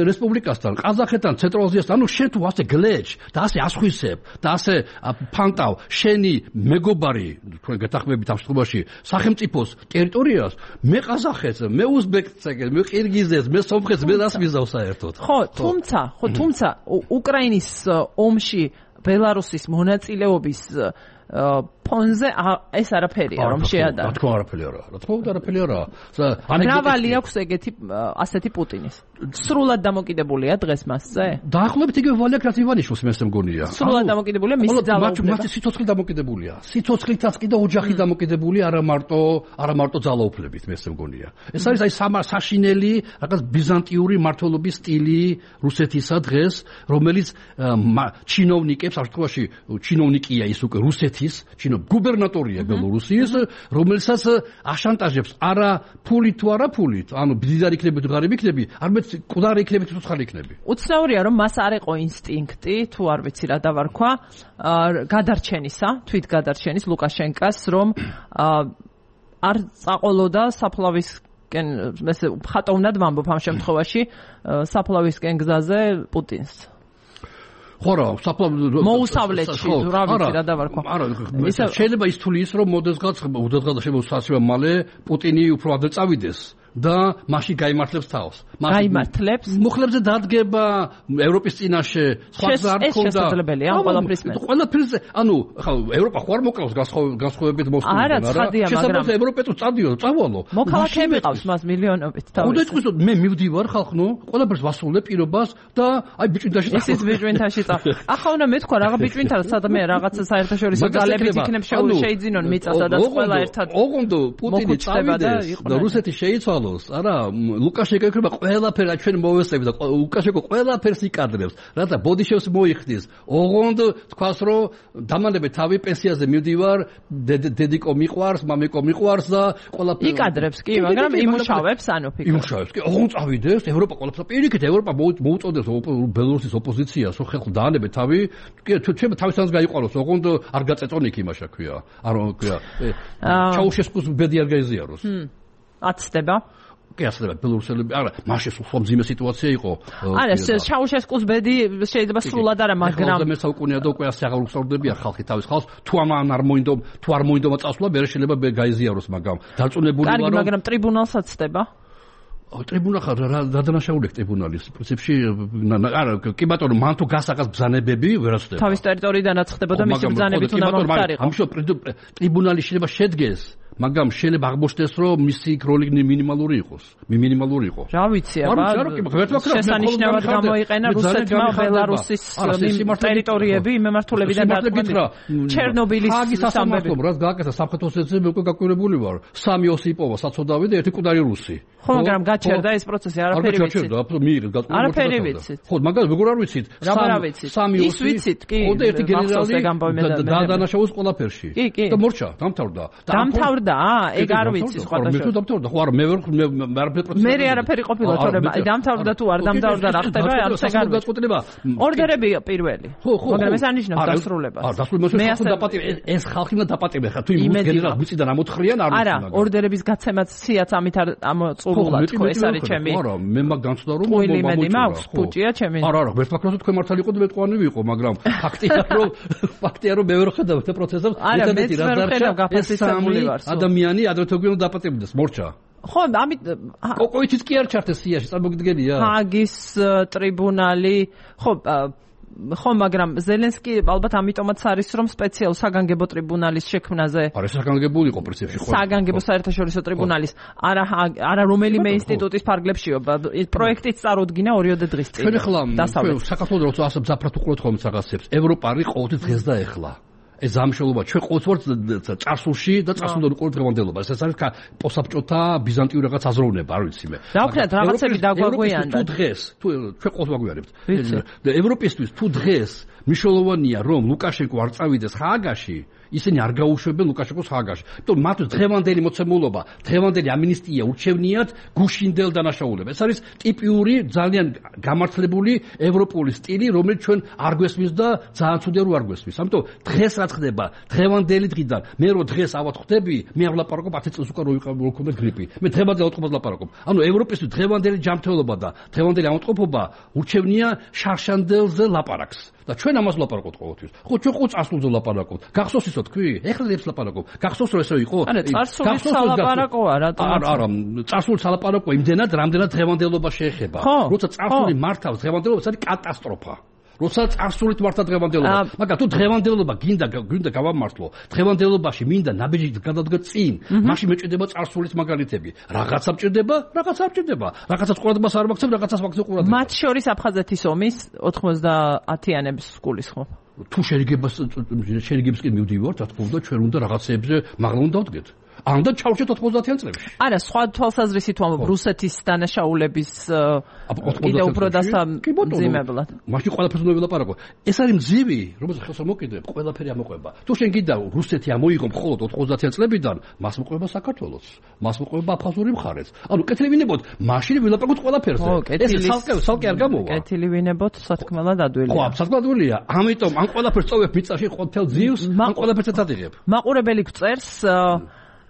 რესპუბლიკასთან, ყაზახეთთან, ცენტრალ-აზიასთან. ანუ შენ თუ ასე გლეჭ და ასე ასხვისებ და ასე ფანტავ შენი მეგობარი თქვენ გეთახმებით ამ შემთხვევაში სახელმწიფოს ტერიტორიას, მე ყაზახეთს, მე უზბეკეთს, მე ყირგიზეთს, მე სომხეთს, მე რას მიზავ საერთოდ. ხო, თუმცა უკრაინის ომში ბელარუსის მონაწილეობის ფონზე ეს არაფერია რომ შეადაროს. რა თქმა უნდა არაფერი არა. მრავალი აქვს ეგეთი ასეთი პუტინის. სრულად დამოკიდებულია დღეს მასზე? დაახლოებით იგივე ვალი აქვს რაც ივანიშვილს მე მგონია. სრულად დამოკიდებულია მისი ძალაუფლება. მათი სიცოცხლე დამოკიდებულია. სიცოცხლითაც კი და ოჯახი დამოკიდებულია არა მარტო ძალაუფლებით მე მგონია. ეს არის აი საშინელი რაღაც ბიზანტიური მმართველობის სტილი რუსეთისა დღეს, რომელიც ჩინოვნიკებს, ამ შემთხვევაში ჩინოვნიკია ის უკვე რუსეთის, გუბერნატორია ბელორუსიის, რომელსაც აშანტაჟებს არა ფულით თუ არა ფულით, ანუ მდიდარი იქნები თუ ღარიბი იქნები, არამედ მკვდარი იქნები თუ ცხალი იქნები. უცნაურია რომ მას არ იყო ინსტინქტი, თუ არ ვიცი რა დავარქვა, გადარჩენისა, თვით გადარჩენის ლუკაშენკას, რომ არ წაყოლოდა საფლავისკენ, ესე ხატოვნად ვამბობ ამ შემთხვევაში, საფლავისკენ გზაზე პუტინს. ხო რა, მოუსავლეთში, რა ვიცი რა დავარქვა. შეიძლება ის თვლი ის რომ მოდესღაც შემოსასწრება მალე პუტინი უფრო ადრე წავიდეს. და მაშინ გაიმართლებს თავს. გაიმართლებს? მუხლებზე დადგება ევროპის წინაშე სხვა გზა არ ქონდა. ეს შესაძლებელია ყველაფრის მე. ყველაფერზე, ანუ ხა ევროპა ხო არ მოკლავს განსხვავებით მოსკოვიდან, არა? შესაძლოა ევროპა თუ წავალო. მოქალაქეები ყავს მას მილიონობით თავის. უდეწყვის მე მივდივარ ხალხნო, ყველაფერს ვასრულებ პირობას და აი ბიჭვინთაში წავ. ეს ბიჭვინთაში წავ. ახლა უნდა მეთქვა რა ბიჭვინთა სადმე რაღაცა საერთაშორისო ძალებით იქნებ შეიძინონ მიწასა და ყველა ერთად. ოღონდ პუტინი წავიდეს და რუსეთი შეიცვალოს. არა ლუკაშენკო იქნება ყველაფერი ჩვენ მოვესწრებით და ლუკაშენკო ყველაფერს იკადრებს რათა ბოდიშევს მოიხდის ოღონდ თქვას რომ დამანებე თავი პენსიაზე მივდივარ დედიკო მიყვარს მამიკო მიყვარს და ყველაფერი იკადრებს კი მაგრამ იმუშავებს ანუ ფიქრობ იმუშავებს კი ოღონდ წავიდეს ევროპა ყველაფერს პირიქით ევროპა მოუწოდებს ბელორუსის ოპოზიციას რომ ხელ დაანებე თავი კი ჩვენ თავისანაც გაიყვანოს ოღონდ არ გაწეწონ იქ იმაშა ქვია არ ქვია ჩაუშესკუს ბედი არ გაიზიაროს აცდება კი ასდება ბელორუსელები არა მაშინ სულ მძიმე სიტუაცია იყო არა ჩაუშესკუს ბედი შეიძლება სრულად არა მაგრამ მე საუკუნეა და უკვე ასე აღარ უხსოვდებია ხალხი თავის ხალხს თუ ამან არ მოინდომა წასვლა მე შეიძლება გაიზიაროს მაგრამ დარწმუნებული ვარ რომ მაგრამ ტრიბუნალს აცდება ტრიბუნა ხარ რა დანაშაულებს ტრიბუნალის პრინციპში არა კი ბატონო მან თუ გასაღას ბრძანებები ვერაცდება თავის ტერიტორიიდანაც ხდებოდა მისი ბრძანებით უნდა მომხდარიყო ამის ტრიბუნალი შეიძლება შედგეს მაგრამ შეიძლება აღმოჩნდეს რომ მისი როლი მინიმალური იყოს რა ვიცი აბა შესანიშნავად გამოიყენა რუსეთმა ბელარუსის ტერიტორიები მემართულებიდან დაწყვეტა ჩერნობილის სამბები რაც გააკეთა სამხედრო სეცები უკვე გაკვირებული ვარ სამი ოსიპოვა საცოდავი და ერთი კუდარი რუსი ხო მაგრამ გაჩერდა ეს პროცესი არაფერი ვიცით არაფერი ვიცით ხო მაგრამ როგორ არ ვიცით სამი ოსი ის ვიცით კი ხო და ერთი გენერალი დანაშაულს ყველაფერში და მორჩა დამთავრდა ეგ არ ვიცი სხვა მე დამთავრდა ხო არა მე არაფერი პროცესი მე არაფერი ყოფილა თორემ დამთავრდა თუ არ დამთავრდა რა ხდება არც ეგ არ გაწყვეტილება ორდერები პირველი მაგრამ ეს ანიშნავს დასრულებას მე ასე ეს ხალხი უნდა დაპატიმრე ხა თუ იმ გენერალს მიწიდან ამოთხრიან არ არა ორდერების გაცემაც სიაც ამით არ ამოწურულა თქო ეს არის ჩემი არა მე მაგ განცდა რომ მომიმედი მაქვს პუჭია ჩემი არა ვერ ფაქტორს თქვენ მართალი იყო და მე თქვენი ვიყო მაგრამ ფაქტია რომ მე ვერ ხედავ ეს პროცესს ერთადერთი რა დარჩა ადამიანი ადრეთო გვინდა დაპატიმრდეს მორჩა ხო ამით კოკოიჩიც კი არ ჩართეს სიაში წარმოგიდგენია ჰაგის ტრიბუნალი ხო მაგრამ ზელენსკი ალბათ ამიტომაც არის რომ სპეციალ საგანგებო ტრიბუნალის შექმნაზე არა საგანგებო იყო პრინციპში ხო საგანგებო საერთაშორისო ტრიბუნალის არა რომელიმე ინსტიტუტის ფარგლებშიო პროექტიც წარუდგინა 2 დღის წინ ჩვენ ახლა საქართველოს როცა ასე მძაფრად უყურებთ ხოლმე რაღაცებს ევროპა არის ყოველთვის დღეს და ეხლა ეს ამშელობა ჩვენ ყოველთვის წარსულში და წარსულიდან უკვე დღევანდელობა ეს არის პოსაბჭოთა ბიზანტიური რაღაც აზროვნება არ ვიცი მე რა ვქნათ რაღაცები დაგვაგვიანდა თუ დღეს თუ ჩვენ ყოველთვის ვაგვიანებთ ევროპისთვის თუ დღეს მნიშვნელოვანია რომ ლუკაშენკო არ წავიდეს ჰააგაში ისინი არ გაუშვებენ ლუკაშენკოს ჰააგაში. იმიტომ მათთვის დღევანდელი მოცემულობა, დღევანდელი ამნისტია ურჩევნიათ გუშინდელ დანაშაულებას. ეს არის ტიპიური ძალიან გამართლებული ევროპული სტილი, რომელიც ჩვენ არ გვესმის და ძალიან ცუდია რომ არ გვესმის. ამიტომ დღეს რაც ხდება, დღევანდელი დღიდან, მე რო დღეს ავად ხვდები, მე არ ვლაპარაკობ 10 წელს უკან რო მქონდა გრიპი. მე დღევანდელ ავადმყოფობას ვლაპარაკობ. ანუ ევროპისთვის დღევანდელი ჯანმრთელობა და დღევანდელი ავადმყოფობა ურჩევნია შარშანდელზე ლაპარაკს. და ჩვენ ამას ვლაპარაკობთ ყოველთვის. ხო, ჩვენ ყო წარსულზე ვლაპარაკობთ. გახსოვს ისო თქვი? ეხლა ლებს ვლაპარაკობ. გახსოვს რომ ესო იყო? არა, წარსულის სალაპარაკოა, რატომ? არა, წარსულის სალაპარაკო იმდენად, რამდენად დღევანდელობა შეეხება. როცა წარსული მართავს დღევანდელობას, არის კატასტროფა. როცა წარსულით მართა დღევანდელობა. მაგრამ თუ დღევანდელობა გინდა გავამართლო, დღევანდელობაში მინდა ნაბიჯით გადადგა წინ, მაშინ მეჭდება წარსულის მაგალითები. რაღაცა მჭირდება, რაღაცა არ მჭირდება. რაღაცას ყურადღებას არ მაქცევ, რაღაცას მაქცევ ყურადღებას. მათ შორის აფხაზეთის ომის 90-იანების გულისხმობ. თუ შერიგებს კი მივდივართ, რა თქმა უნდა, ჩვენ უნდა რაღაცეებზე მაღლა უნდა ვდგეთ. ანდა ჩავშეთ 90-იან წლებში. არა, სხვა თვალსაზრისით ვამბობ რუსეთის დანაშაულების კიდე უფრო დასამძიმებლად. მაშინ ყველაფერს უნდა ვილაპარაკო. ეს არის მძივი, რომელსაც ხელს მოკიდებ, ყველაფერი ამოყვება. თუ შენ გინდა რუსეთი ამოიღო მხოლოდ 90-იან წლებიდან, მას მოყვება საქართველოს, მას მოყვება აფხაზური მხარეც. ანუ კეთილი ვინებოთ, მაშინ ვილაპარაკოთ ყველაფერზე. ეს სალკე არ გამოვა. კეთილი ვინებოთ, სათქმელად ადვილია. ხო, სათქმელად ადვილია. ამიტომ ამ ყველაფერს წოვებ მიწაში ყოველთელ ძიუს, ამ ყველაფერსაც ადიღებ. მაყურებელი გწერს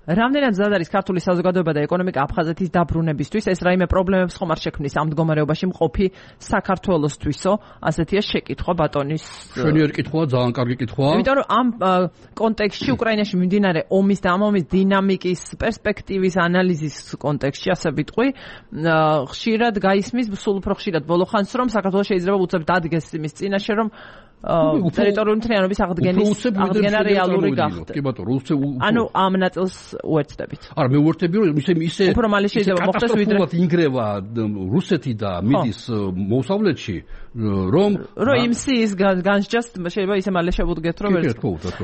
რამდენად მზად არის ქართული საზოგადოება და ეკონომიკა აფხაზეთის დაბრუნებისთვის? ეს რაიმე პრობლემებს ხომ არ შექმნის ამ მდგომარეობაში მყოფი საქართველოსთვისო? ასეთია შეკითხვა ბატონის. შენიერი კითხვაა, ძალიან კარგი კითხვაა. იმიტომ რომ ამ კონტექსტში უკრაინაში მიმდინარე ომის და ამ ომის დინამიკის პერსპექტივის ანალიზის კონტექსტში ასე ვიტყვი, ხშირად გაისმის, სულ უფრო ხშირად ბოლო ხანს, რომ საქართველოს შეიძლება უცებ დადგეს იმის წინაშე, რომ ტერიტორიული მთლიანობის აღდგენა რეალური გახდეს. კი ბატონო, ანუ ამ ნაწილს უერთდებით. არა, მე უერთები რომ ისე უფრო მალე შეიძლება მოხდეს ვიდრე ინგრევა რუსეთი და მიდის მოსავლეთში, რომ იმ სიის განსჯას შეიძლება ისე მალე შევუდგეთ რომ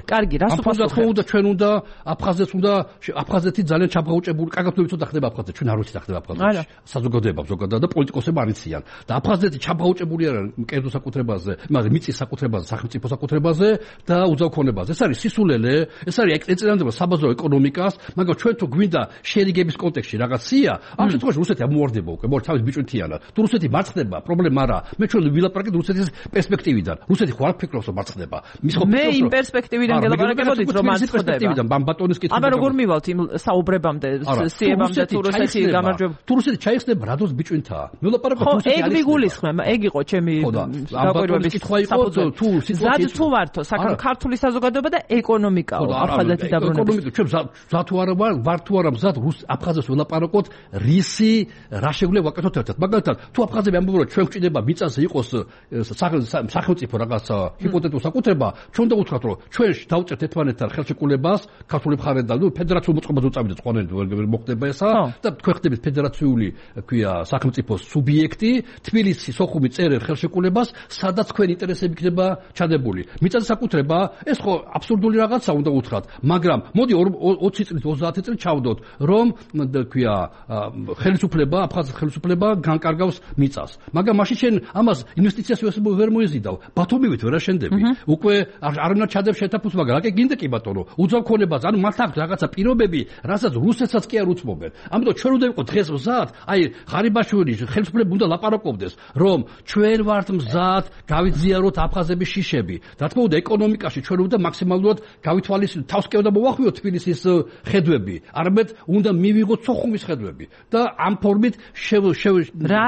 კარგი, რას უპასუხებთ? ჩვენ უნდა აფხაზეთი ძალიან ჩაბღაუჭებული, კარგად ვიცოდა ხდება აფხაზეთი, ჩვენ არ ვიცით ხდება აფხაზეთი. საზოგადოება ზოგადად და პოლიტიკოსები არ იციან. და აფხაზეთი ჩაბღაუჭებული არა კერძო საკუთრებაზე, მაგრამ მიწის საკუთრებაზე, სახელმწიფო საკუთრებაზე და უძავქონებაზე. ეს არის სისულელე, ეს არის ეწინააღმდება საბაზრო ეკონომიკას, მაგრამ ჩვენ თუ გვინდა შერიგების კონტექსტში რაღაცია, ამ შემთხვევაში რუსეთი ამოვარდება უკვე, თავის ბიჭუნთიანად. თუ რუსეთი მარცხდება, პრობლემა არა. მე ჩვენ ვილაპარაკეთ რუსეთის პერსპექტივიდან. რუსეთი ხო არ ფიქრობს რომ მარცხდება. მე იმ პერსპექტივიდან გელაპარაკებოდით რომ მარცხდება. ბატონის კითხვა. აბა როგორ მივალთ იმ საუბრებამდე, სიებამდე თუ რუსეთი გამარჯვება? თუ რუსეთი ჩაიხსნება, რადოს ბიჭუნთაა. მე ვილაპარაკებ რუსეთი არის. ხო, ეგ მიგულისხმება, ეგ იყო ჩემი საკვირვების კითხვა იყო. თუ სიტუაცია თუ ვართო ქართული საზოგადოება და ეკონომიკაო აფხაზეთის დაბრუნება. ჩვენ მზად თუ არა ვარ თუ არა მზად აფხაზებს ველაპარაკოთ რისი რა შეგვიძლია ვაკეთოთ ერთად. მაგალითად, თუ აფხაზები ამბობენ რომ ჩვენ გვჭირდება მიწაზე იყოს სახელმწიფო რაღაც ჰიპოთეტური საკუთრება, ჩვენ უნდა უთხრათ რომ ჩვენ დავწერთ ერთმანეთთან ხელშეკრულებას ქართული მხარე და ფედერაციულ მოწყობაზე წავიდეთ ყველანი ვერ მოხდება ესა და თქვენ ხდებით ფედერაციული ქვია სახელმწიფოს სუბიექტი, თბილისის სოხუმი წერენ ხელშეკრულებას, სადაც თქვენ ინტერესები იქნება ჩადებული. მიწაზე საკუთრება, ეს ხო აბსურდული რაღაცა უნდა უთხრათ, მაგრამ მოდი 20 წლით 30 წლით ჩავდოთ, რომ ქვია ხელისუფლება, აფხაზეთის ხელისუფლება განკარგავს მიწას. მაგრამ მაშინ შენ ამას ინვესტიციას ვერ მოიზიდავ. ბათუმივით ვერ აშენდები. უკვე არ უნდა ჩადებ შეთაფუს, მაგრამ აკე გინდა კი ბატონო, უძავქონებას, ანუ მათ აქვს რაღაცა პირობები, რასაც რუსეთსაც კი არ უცმობენ. ამიტომ ჩვენ უნდა ვიყოთ დღეს მზად, აი ღარიბაშვილი ხელისუფლება უნდა ლაპარაკობდეს, რომ ჩვენ ვართ მზად, გავიძიაროთ აფხაზების შიშები. რა თქმა უნდა, ეკონომიკაში ჩვენ უნდა მაქსიმალურად გავითვალისწინოთ, თავს კი უნდა მოვახვიოთ თბილისის ხედვები, არამედ უნდა მივიღოთ სოხუმის ხედვები და ამ ფორმით რა,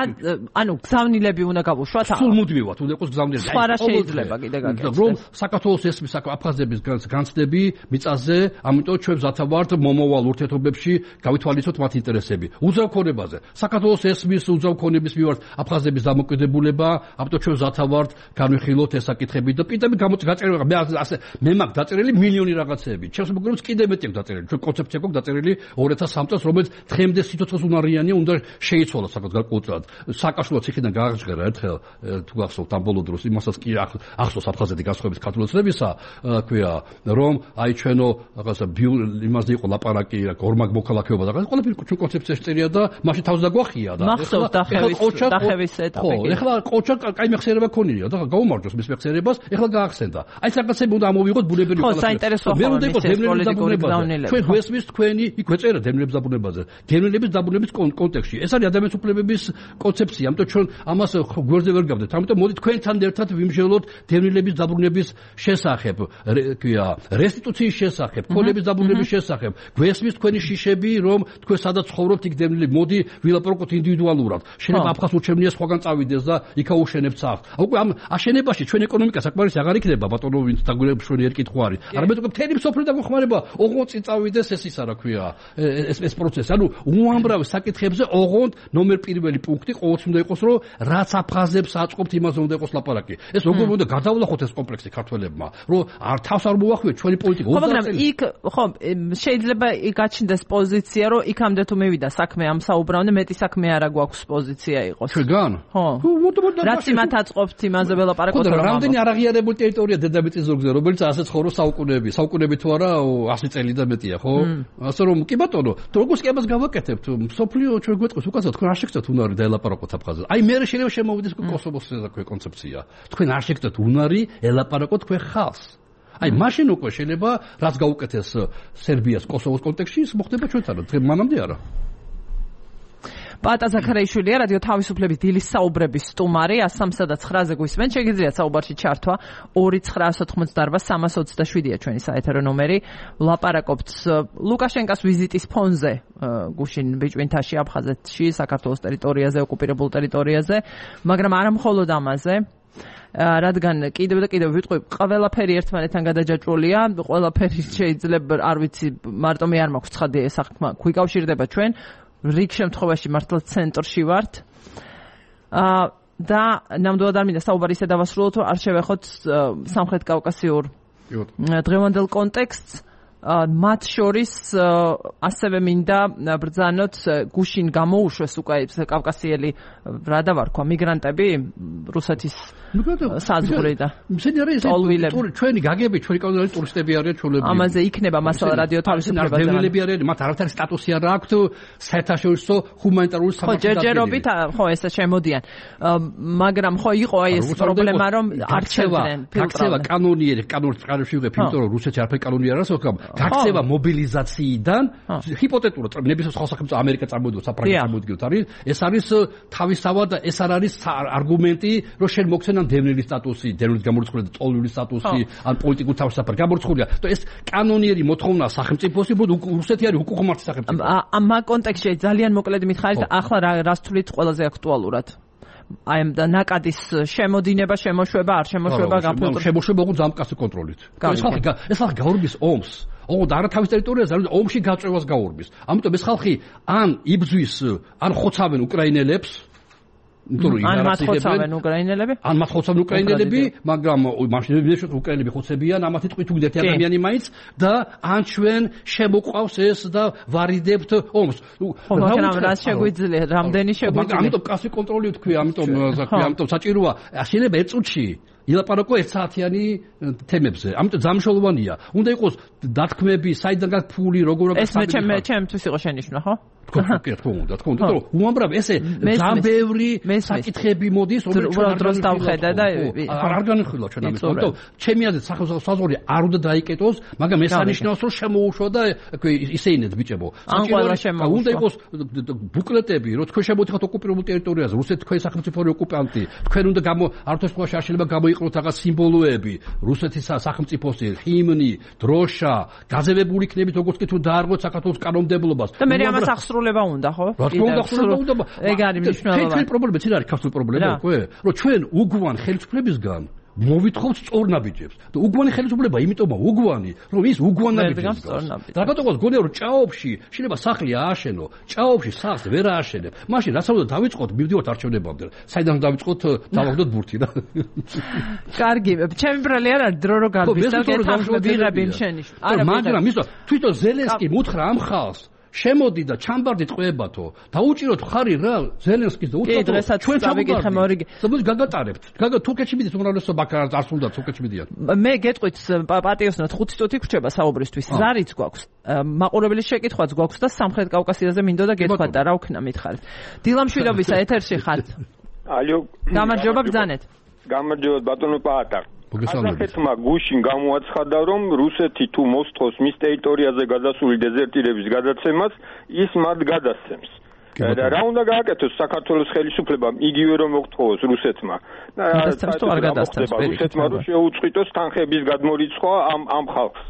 ანუ გზავნილები უნდა გავუშვათ? სულ მუდმივად უნდა იყოს გზავნილები. სხვა რა შეიძლება კიდე გაკეთდეს? რომ საქართველოს ესმის აფხაზების განცდები მიწაზე, ამიტომ ჩვენ მზათავართ მომავალ ურთიერთობებში გავითვალისწინოთ მათ ინტერესები. უძავქონებაზე. საქართველოს ესმის უძავქონების მიმართ აფხაზების დამოკიდებულება, ამიტომ ჩვენ მზათავართ განვიხილოთ ეს საკითხები და პირდაპირ გაწერილი მე მაქვს დაწერილი მილიონი რაღაცეები. ჩემს მოგონებს კიდე მეტი აქვს დაწერილი. ჩვენ კონცეფცია გვაქვს დაწერილი 2003 წელს, რომელიც დღემდე სიცოცხლეს უნარიანია, უნდა შეიცვალოს საკუთარ გარკვეულწილად. სააკაშვილო ციხიდან გააღჟღერა ერთხელ თუ გახსოვთ ამ ბოლო დროს იმასაც კი ახსოვს აფხაზეთი გასხვების ქართულოცნებისა, ქვია, რომ აი ჩვენო რაღაცა იმაზე იყო ლაპარაკი, ორმაგ მოქალაქეობა და რაღაც ყველაფერი ჩვენ კონცეფციაში წერია და მაშინ თავს დაგვახია და ახსოვს დახევის ეტაპი. ეხლა ყოჩა კაი მეხსიერება ქონია და გაუმარჯოს მის მეხსიერებას, ეხლა გაახსენდა. აი ეს რაღაცები უნდა ამოვიღოთ ბუნებრივი ხო, საინტერესოა პოლიტიკური გზავნილება. ჩვენ გვესმის თქვენი იქ გვეწერა დევნილების დაბრუნებაზე. დევნილების დაბრუნების კონტექსტში. ეს არის ადამიანის უფლებების კონცეფცია, ამიტომ ჩვენ ამას გვერდზე ვერ გავდეთ. ამიტომ მოდი თქვენთან ერთად ვიმსჯელოთ დევნილების დაბრუნების შესახებ, ქვია, რესტიტუციის შესახებ, ქონების დაბრუნების შესახებ. გვესმის თქვენი შიშები, რომ თქვენ სადაც ცხოვრობთ იქ დევნილები, მოდი ვილაპარაკოთ ინდივიდუალურად. შეიძლება აფხაზ ურჩევნია სხვაგან წავიდეს და იქა უშენებს სახლს. უკვე ამ აშენებაში ჩვენ ეკონომიკა საკმარისი აღარ იქნება ბატონო ვინც დაგვირებული კითხვა არის. არამედ უკვე მთელი მსოფლიო დაგეხმარება ოღონდ წინ წავიდეს ეს ისა რა ქვია ეს პროცესი. ანუ უამრავ საკითხებზე ოღონდ ნომერ პირველი პუნქტი ყოველთვის უნდა იყოს რომ რაც აფხაზებს აწყობთ იმაზე უნდა იყოს ლაპარაკი. ეს როგორ უნდა გადავლახოთ ეს კომპლექსი ქართველებმა რომ თავს არ მოახვიოთ ჩვენი პოლიტიკა. მაგრამ იქ ხო შეიძლება გაჩნდეს პოზიცია რომ იქამდე თუ მივიდა საქმე ამ საუბრამდე მეტი საქმე არა გვაქვს პოზიცია იყოს. ჩვენგან? ხო. რაც იმათ აწყობთ იმაზე ველაპარაკოთ რომ რამდენი არაღიარებული ტერიტორია დედამიწის ზურგზე რომელიც ასე ცხოვრობს საუკუნეები თუ არა 100 წელი და მეტია ხო? ასე რომ კი ბატონო როგორც კი ამას გავაკეთებთ სოფლიო ჩვენ გვეტყვის უკაცრავ თქვენ არ შეგწევთ უნარი დაელაპარაკოთ აფხაზეთს. აი მე შეიძლება შემოვიდეს კოსოვოს ეს კონცეფცია. თქვენ არ შეგწევთ უნარი ელაპარაკოთ თქვენ ხალხს. აი მაშინ უკვე შეიძლება რაც გაუკეთეს სერბიას კოსოვოს კონტექსტში ის მოხდება ჩვენთან. მანამდე არა. პატა ზაქარაიშვილია რადიო თავისუფლების დილის საუბრების სტუმარი 103-ზე გვისმენთ. შეგიძლიათ საუბარში ჩართვა 2988327-ია ჩვენი საეთერო ნომერი. ვლაპარაკობთ ლუკაშენკას ვიზიტის ფონზე გუშინ ბიჭვინთაში აფხაზეთში საქართველოს ტერიტორიაზე ოკუპირებულ ტერიტორიაზე, მაგრამ არა მხოლოდ ამაზე. რადგან კიდევ და კიდევ ვიტყვი ყველაფერი ერთმანეთთან გადაჯაჭვულია, ყველაფერი შეიძლება არ ვიცი მარტო მე არ მაქვს ცხადი ეს საქმე გვიკავშირდება ჩვენ რიგ შემთხვევაში მართლა ცენტრში ვართ და ნამდვილად არ მინდა საუბარი ისე დავასრულოთ რომ არ შევეხოთ სამხრეთ კავკასიურ დღევანდელ კონტექსტს მათ შორის ასევე მინდა ბრძანოთ გუშინ გამოუშვეს უკვე კავკასიელი რა დავარქვა მიგრანტები რუსეთის საზღვრიდან ჩვენი გაგები ჩვენი კავკასიელი ტურისტები არიან ჩვეულებრივი ამაზე იქნება მასალა რადიო თავისუფლება დევნილები არიან მათ არაფერი სტატუსი არ აქვთ საერთაშორისო ჰუმანიტარული სამართლის ჯერჯერობით ხო ესე შემოდიან მაგრამ ხო იყო აი ეს პრობლემა რომ არ ჩერდნენ გაქცევა კანონიერი კანონის ვიღებ იმიტომ რომ რუსეთში არაფერი კანონი არ არსებობს გაქცევა მობილიზაციიდან ჰიპოთეტურად ნებისმიერ სხვა სახელმწიფო ამერიკა წარმოდიოს საფრანგეთი წარმოდიოს არის ეს არის თავისთავად ეს არ არის არგუმენტი რომ შენ მოგცენ ან დევნილის სტატუსი დევნილის გამორიცხული და ტოლული სტატუსი ან პოლიტიკური თავისუფლება გამორიცხულია და ეს კანონიერი მოთხოვნა სახელმწიფოსი რუსეთი არის უკუღმართი სახელმწიფო ამ კონტექსტში ძალიან მოკლედ მითხარით ახლა რას თვლით ყველაზე აქტუალურად აი ამ ნაკადის შემოდინება შემოშვება არ შემოშვება გაფილტრება შემოშვება უკვე ძამკაცი კონტროლით ეს ხალხი გაურბის ომს ოღონდ არა თავის ტერიტორიაზე ომში გაწევას გაურბის ამიტომ ეს ხალხი ან იბძვის ან ხოცავენ უკრაინელებს ან მათხოცავენ უკრაინელები მაგრამ მაშინ უკრაინელები ხოცებიან ამათი ტყვით უდეთ ადამიანი მაინც და ან ჩვენ შემოყვავს ეს და ვარიდებთ ომს რა შეგვიძლია რამდენი შეგვიძლია ამიტომ კასი კონტროლი თქვი ამიტომ საჭიროა შეიძლება ერთ წუთში ილაპარაკო 1 საათიანი თემებზე. ამიტომ ძამშოლოვანია. უნდა იყოს დათქმები, საიდან გაქვს ფული, როგორ ეს ჩემთვის იყო შენიშვნა, ხო? თქო უნდა. უამრავ ესე ძალიან ბევრი საკითხები მოდის, რომელიც დროს დავხედა და არ განხილვა ჩვენ ამის. ამიტომ ჩემი აზრით საზღვარი არ უნდა დაიკეტოს, მაგრამ ეს არნიშნავს რომ შემოუშვა და ისე ინეთ ბიჭებო. უნდა იყოს ბუკლეტები, რომ თქვენ შემოდიხართ ოკუპირებულ ტერიტორიაზე, რუსეთი თქვენი სახელმწიფოური ოკუპანტი. თქვენ უნდა არ თქოს სხვა შეიძლება გამოიყენოთ რაღაც სიმბოლოები, რუსეთის სახელმწიფოსი, ჰიმნი, დროშა, გაზევებული იქნებით როგორც კი თუ დაარღვეთ საქართველოს კანონმდებლობას. და მე ამას აღსრულება უნდა, ხო? რა თქმა უნდა, ეგ არის მნიშვნელოვანი. თქვენი პრობლემა ცირ არის ქართული პრობლემა უკვე, რომ ჩვენ უგვან ხელისუფლებისგან მოვითხოვთ სწორნაბიჯებს. და უგვანი ხელისუფლება იმიტომაა უგვანი, რომ ის უგვანაბიჯებს გავს. რაგატოღოს გონია რომ ჭაობში შეიძლება სახლი ააშენო, ჭაობში სახლს ვერ ააშენებ. მაშინ რაც უნდა დავიწყოთ, მივდივართ არჩევნებამდე. საიდან დავიწყოთ, დავაგდოთ ბურთი რა. კარგი, ჩემი ბრალი არ არის დრო რო გარბის და გეთახმები იმ შენიშვნა. არა, მაგრამ ისო თვითონ ზელენსკი მუთხრა ამ ხალხს შემოდი და ჩამბარდი წყვეებათო დაუჭიროთ ხარი რა ზელენსკის და უცხო ჩვენ წავიკითხე მორიგი საბუთ გაგატარებთ თურქეთში მიდის უმრავლესობა არ სულდა თურქეთში მიდიან მე გეტყვით პატიოსნოთ 5 წუთი გრჩება საუბრისთვის ზარიც გვაქვს მაყურებლის შეკითხვაც გვაქვს და სამხრეთ კავკასიაზე მინდოდა გეთქვათ და რა ვქნა მითხარით დილამშვიდობისა ეთერში ხართ ალო გამარჯობა ბრძანეთ გამარჯობა ბატონო პაატა ასახეთმა გუშინ გამოაცხადა რომ რუსეთი თუ მოსთხოვს მის ტერიტორიაზე გადასული დეზერტირების გადაცემას ის მათ გადასცემს და რა უნდა გააკეთოს საქართველოს ხელისუფლებამ იგივე რომ მოხთხოვოს რუსეთმა რუსეთმა რომ შეუწყიტოს თანხების გადმორიცხვა ამ ხალხს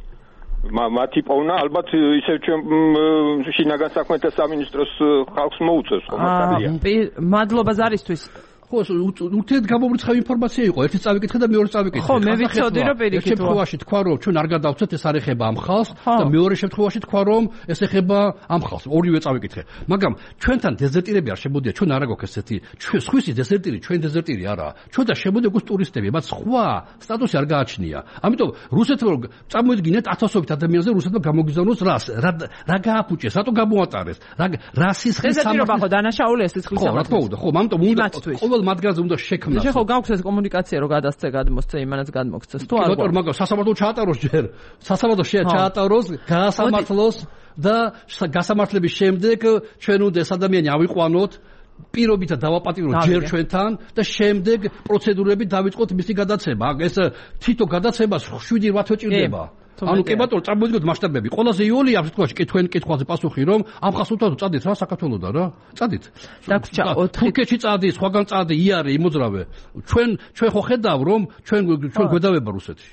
მათი პოვნა ალბათ ისევ ჩვენ შინაგან საქმეთა სამინისტროს ხალხს მოუწევს ხომ მართალია მადლობა ზარისთვის ხო, ურთიერთ გამომრიცხავი ინფორმაცია იყო. ერთი წავიკითხე და მეორე წავიკითხე. ხო, მე ვიცოდი რომ პირიქით. ერთ შემთხვევაში თქვა რომ ჩვენ არ გადავცეთ, ეს არ ეხება ამ ხალხს და მეორე შემთხვევაში თქვა რომ ეს ეხება ამ ხალხს. ორივე წავიკითხე. მაგრამ ჩვენთან დეზერტირები არ შემოდია, ჩვენ არა გვაქვს ესეთი. ჩვენ სხვისი დეზერტირი, ჩვენ დეზერტირი არაა. ჩვენ და შემოდია გვაქვს ტურისტები, მათ სხვა სტატუსი არ გააჩნია. ამიტომ რუსეთმა რომ წამოიდგინეთ 1000-ობით ადამიანზე რუსეთმა გამოგიზავნოს რას? რა გააფუჭეს? რატო გამოატარეს? რა სისხლის სამართლი ხო დანაშაულია სისხლის სამართლი. ხო, რა თქმა უნდა, ხო, ამიტომ უნდა ყოველ მათგანზე უნდა შექმნას. შეხო გაქვს ეს კომუნიკაცია რომ გადასცე გადმოსცე იმანაც გადმოგცეს თუ არ გვაქვს? მაგრამ სასამართლო ჩაატაროს ჯერ. სასამართლო ჩაატაროს, გაასამართლოს და გასამართლების შემდეგ ჩვენ უნდა ეს ადამიანი ავიყვანოთ პირობითა დავაპატიმროთ ჯერ ჩვენთან და შემდეგ პროცედურებით დავიწყოთ მისი გადაცემა. ეს თვითონ გადაცემას 7-8 ჭირდება. ანუ კი ბატონო, წარმოვიდგინოთ მასშტაბები. ყველაზე იოლი ამ შემთხვევაში კი თქვენ კითხვაზე პასუხი რომ ამ ხასუთავად წადით რა საქართველოსდან რა? წადით. დაგვრჩა 4 თურქეთში წადით, სხვაგან წადი, იარე, იმოძრავე. ჩვენ ხო ხედავ რომ ჩვენ გვედავება რუსეთში.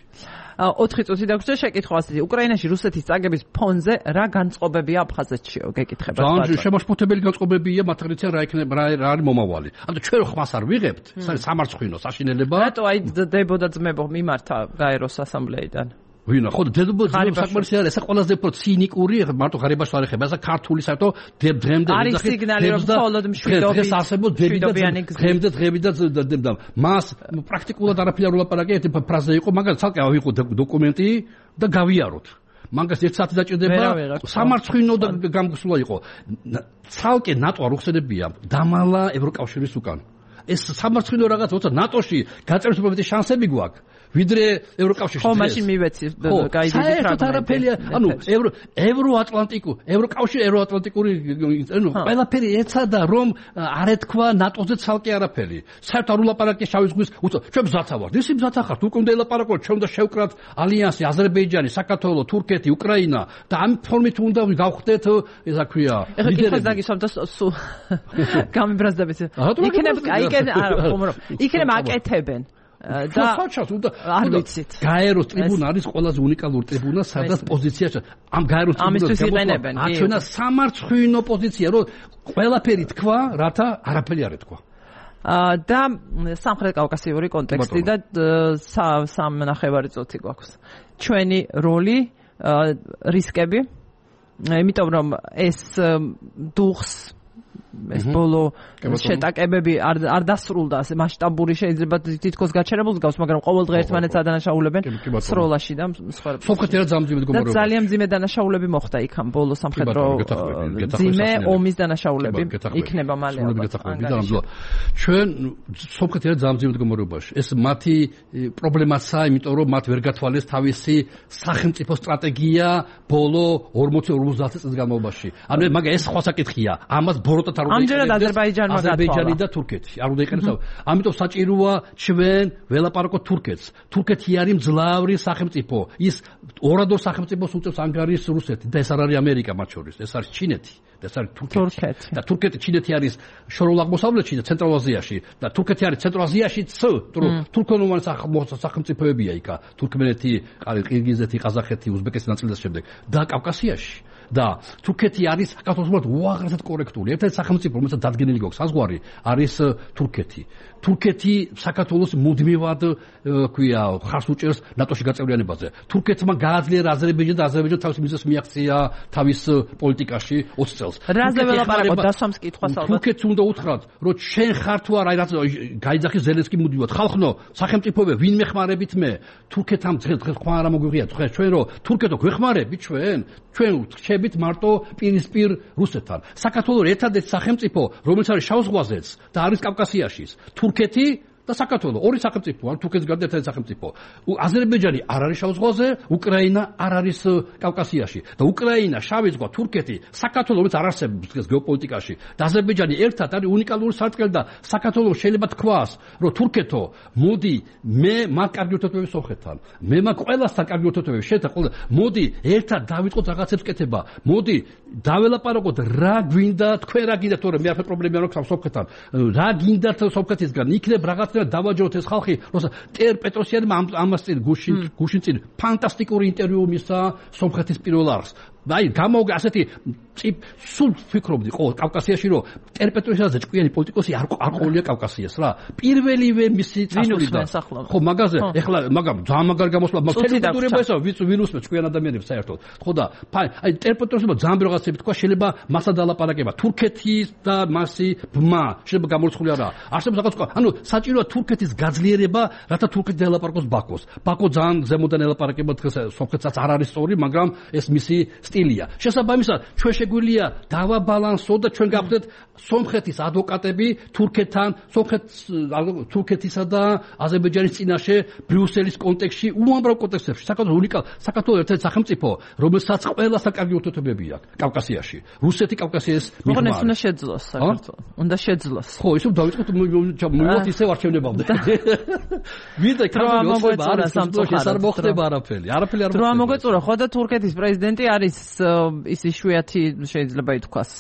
4 წუთი დაგვრჩა შეკითხვაზე. უკრაინაში რუსეთის წაგების ფონზე რა განწყობებია აფხაზეთშიო? გეკითხება. ძალიან შემაშფოთებელი განწყობებია, მათ რიციან რა იქნება, რა არის მომავალი. ანუ ჩვენ ხმას არ ვიღებთ, ეს არის სამარცხვინო საშინელება. რატო აი დებოდა ძმებო მიმართა გაეროს ასამბლეიდან? ვინა ხო დებოდა საკმარისი არის, ეს ყველაზე უფრო ცინიკური, მარტო ღარიბაში არ ეხება, ეს ქართული საერთო დღემდე არის სიგნალი რომ მხოლოდ მშვიდობის დღემდე და მას პრაქტიკულად არაფერი არ ულაპარაკე, ერთი ფრაზა იყო, მაგალითად ცალკე ავიღო დოკუმენტი და გავიაროთ. მაგას 1 საათი დაჭირდება, სამარცხვინო და გამგოსვლა იყო. ცალკე ნატო არ უხსენებია, დამალა ევროკავშირის უკან. ეს სამარცხვინო რაღაც როცა ნატოში გაწერის უბრალოდ შანსები გვაქვს. ვიდრე ევროკავშირში. ხო, მაშინ მივეცი გაიგეთ ფრაგმენტი. ანუ ევროკავშირი, ანუ ყველაფერი ეცადა რომ არ ეთქვა ნატოზე ცალკე არაფერი. საერთოდ არ ულაპარაკე შავი ზღვის, ჩვენ მზათა ვართ. ისი მზათა ხართ, უკვე უნდა ელაპარაკოთ, ჩვენ უნდა შევკრათ ალიანსი, აზერბაიჯანი, საქართველო, თურქეთი, უკრაინა და ამ ფორმით უნდა გავხდეთ, ესა ქვია. ეხლა კითხვის დაგისვამ და გამიბრაზდებით. იქნება აკეთებენ. და არ ვიცით. გაეროს ტრიბუნა არის ყველაზე უნიკალური ტრიბუნა, სადაც პოზიციაში ამ გაეროს ტრიბუნას აჩვენა სამარცხვინო პოზიცია, რომ ყველაფერი თქვა, რათა არაფერი არ ეთქვა. და სამხრეთ კავკასიური კონტექსტი და 3.5 წუთი გვაქვს. ჩვენი როლი, რისკები, იმიტომ რომ ეს დუხს ეს ბოლო შეტაკებები არ დასრულდა, მასშტაბური შეიძლება თითქოს გაჩერებულს გავს, მაგრამ ყოველდღე ერთმანეთს ადანაშაულებენ სროლაში და სხვა. სომხეთი რა ძალიან მძიმე მდგომარეობა. ძალიან მძიმე დანაშაულები მოხდა იქამ ბოლო სამხედრო მძიმე ომის დანაშაულები იქნება მალე. ჩვენ სომხეთი რა ძალიან მძიმე მდგომარეობაში. ეს მათი პრობლემაა, იმიტომ რომ მათ ვერ გათვალეს თავისი სახელმწიფო სტრატეგია ბოლო 40-50 წლის განმავლობაში. ანუ მაგა ეს სხვა საკითხია. ამას ბოროტად ამჯერად აზერბაიჯანი და თურქეთი. არ უნდა იყენოს. ამიტომ საჭიროა ჩვენ ველაპარაკოთ თურქეთს. თურქეთი არის მძლავრი სახელმწიფო. ის ორადორ სახელმწიფოს უწევს ანგარიშს რუსეთი და ეს არ არის ამერიკა მათ შორის. ეს არის ჩინეთი. ეს არის თურქეთი. და თურქეთი, ჩინეთი არის შორეულ აღმოსავლეთში და ცენტრალურ აზიაში და თურქეთი არის ცენტრალურ აზიაშიც, თურქონოვანი სახელმწიფოებია იქა. თურქმენეთი, ყირგიზეთი, ყაზახეთი, უზბეკეთი ნაწილი და შემდეგ და კავკასიაში. და თურქეთი არის საქართველოს უაღრესად კორექტული. ერთ-ერთი სახელმწიფო, რომელსაც დადგენილი გვაქვს საზღვარი, არის თურქეთი. თურქეთი საქართველოს მუდმივად ქვია ხარს უჭერს ნატოში გაწევრიანებაზე. თურქეთმა გააძლიერა აზერბაიჯანი და აზერბაიჯანი თავის მიზნებს მიაღწია თავის პოლიტიკაში 20 წელს. რაზე ველაპარაკოთ დასვამს კითხვას ალბათ. თურქეთს უნდა უთხრათ, რომ ჩვენ ხარ თუ არა, რაც გაიძახის ზელენსკი მუდმივად. ხალხნო, სახელმწიფოები ვინ მეხმარებით მე? თურქეთამ დღეს ხმა არა მოგვიღია. ჩვენ რომ თურქეთო გვეხმარებით ჩვენ რჩებით მარტო პირისპირ რუსეთთან. საქართველოს ერთადერთი სახელმწიფო, რომელიც არის შავ ზღვაზეც და არის კავკასიაშიც. თურქეთი და საქართველოს ორი სახელმწიფო, ან თურქეთის გარდა ერთადერთი სახელმწიფო. აზერბაიჯანი არ არის შავ ზღვაზე, უკრაინა არ არის კავკასიაში. და უკრაინა, შავი ზღვა, თურქეთი, საქართველოს რომელიც არ არსებობს დღეს გეოპოლიტიკაში და აზერბაიჯანი ერთად არის უნიკალური სარტყელი და საქართველოს შეიძლება თქვას, რომ თურქეთო, მოდი მე მაგ კარგი ურთიერთობები სომხეთთან. მე მაგ ყველასთან კარგი ურთიერთობები შეეძახო. მოდი ერთად დავიწყოთ რაღაცებს კეთება. მოდი დაველაპარაკოთ რა გვინდა, თქვენ რა გინდათ, თორე მე არაფერ პრობლემა არ აქვს სომხეთთან. რა გინდათ სომხეთისგან? იქნებ რაღაც დავაჯეროთ ეს ხალხი, როცა პეტროსიანმა ამას წინ გუშინ წინ ფანტასტიკური ინტერვიუ მისცა სომხეთის პირველ არხს. აი გამოგა ასეთი სულ ფიქრობდი ხო კავკასიაში რომ ტერპეტროშაზე ჭკვიანი პოლიტიკოსი არ ყოლია კავკასიას რა პირველივე მისი წასვლიდან ხო მაგაზე ეხლა მაგრამ ძალიან მაგარ გამოსვლა თელევიზორება ესა ვინუსმე ჭკვიან ადამიანებს საერთოდ ხო და აი ტერპეტროშება ძალიან ბევრი რაღაცები თქვა შეიძლება მასა დალაპარაკება თურქეთის და მასი ბმა შეიძლება გამორიცხული არა არსებობს რაღაც თქვა ანუ საჭიროა თურქეთის გაძლიერება რათა თურქეთი დალაპარაკოს ბაქოს ბაქო ძალიან ზემოდან ელაპარაკება დღეს სომხეთსაც არ არის სწორი მაგრამ ეს მისი სტილია შესაბამისად ჩვენ შეგვიძლია დავაბალანსო და ჩვენ გავხდეთ სომხეთის ადვოკატები თურქეთთან თურქეთისა და აზერბაიჯანის წინაშე ბრიუსელის კონტექსტში უამრავ კონტექსტებში საქართველოს ერთ-ერთი სახელმწიფო რომელსაც ყველა საკარგი ურთიერთობები აქვს კავკასიაში რუსეთი კავკასიის მიღმა უნდა შეძლოს საქართველოს უნდა შეძლოს ხო ისე დავიწყოთ მივოთ ისევ არჩევნებამდე ვიდრე კრამოგვეწურა არ მოხდება არაფერი არ მოხდება მოგეწურა ხო და თურქეთის პრეზიდენტი არის ის იშვიათი შეიძლება ითქვას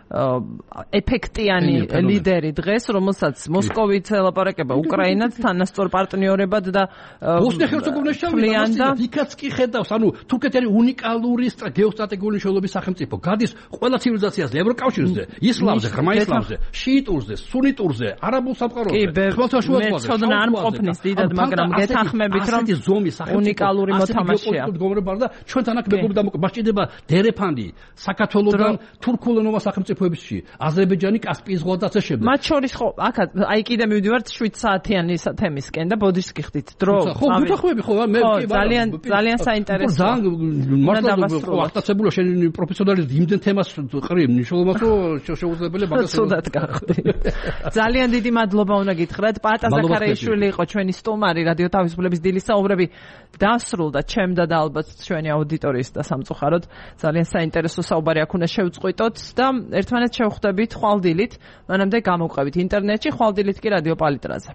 ეფექტიანი ლიდერი დღეს, რომელსაც მოსკოვით ელაპარაკება უკრაინაც თანასწორ პარტნიორებად და ბოსნია ჰერცეგოვინას შევიდა, იქაც კი ხედავს, ანუ თურქეთი არის უნიკალური გეოსტრატეგიული მნიშვნელობის სახელმწიფო. გადის ყველა ცივილიზაციაზე, ევროკავშირზე, ისლამზე, ღრმა ისლამზე, შიიტურზე, სუნიტურზე, არაბულ სამყაროზე, ხმელთაშუა ზღვაზე. მეცოდნა არ მყოფნის დიდად, მაგრამ გეთანხმებით, რომ უნიკალური მოთამაშეა. და ჩვენთან აქ მეგობრები დამოკიდება დერეფანდი, საქართველოსთან თურქულენოვან სახელმწიფოებში, აზერბაიჯანი, კასპიის ზღვა და ასე შემდეგ. მათ შორის ხო, აქ აი კიდე მივდივართ 7 საათიანი თემისკენ და ბოდიშს გიხდით. დრო. ხო, გუთახვები ხო, მე ძალიან საინტერესოა. მართლა აქტაცებულა შენ პროფესიონალიზმი იმდენ თემას ყრი, მნიშვნელობას რომ შეუძლებელი მაგას ცუდად გახვდი. ძალიან დიდი მადლობა უნდა გითხრათ. პატა ზაქარაიშვილი იყო ჩვენი სტუმარი რადიო თავისუფლების დილის საუბრები დასრულდა ჩემდა და ალბათ ჩვენი აუდიტორიის და სამწუხაროდ ძალიან საინტერესო საუბარი აქ უნდა შევწყვიტოთ და ერთმანეთს შევხვდებით ხვალდილით, მანამდე გამოვყევით ინტერნეტში, ხვალდილით კი რადიო პალიტრაზე.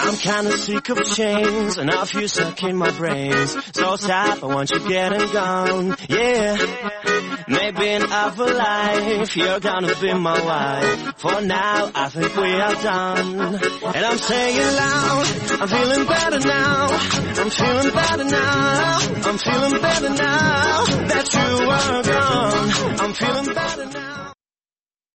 I'm kinda sick of chains and of you sucking my brains. So stop, I want you getting gone, yeah. Maybe in other life you're gonna be my wife. For now, I think we are done. And I'm saying loud, I'm feeling better now. I'm feeling better now. I'm feeling better now that you are gone. I'm feeling better now.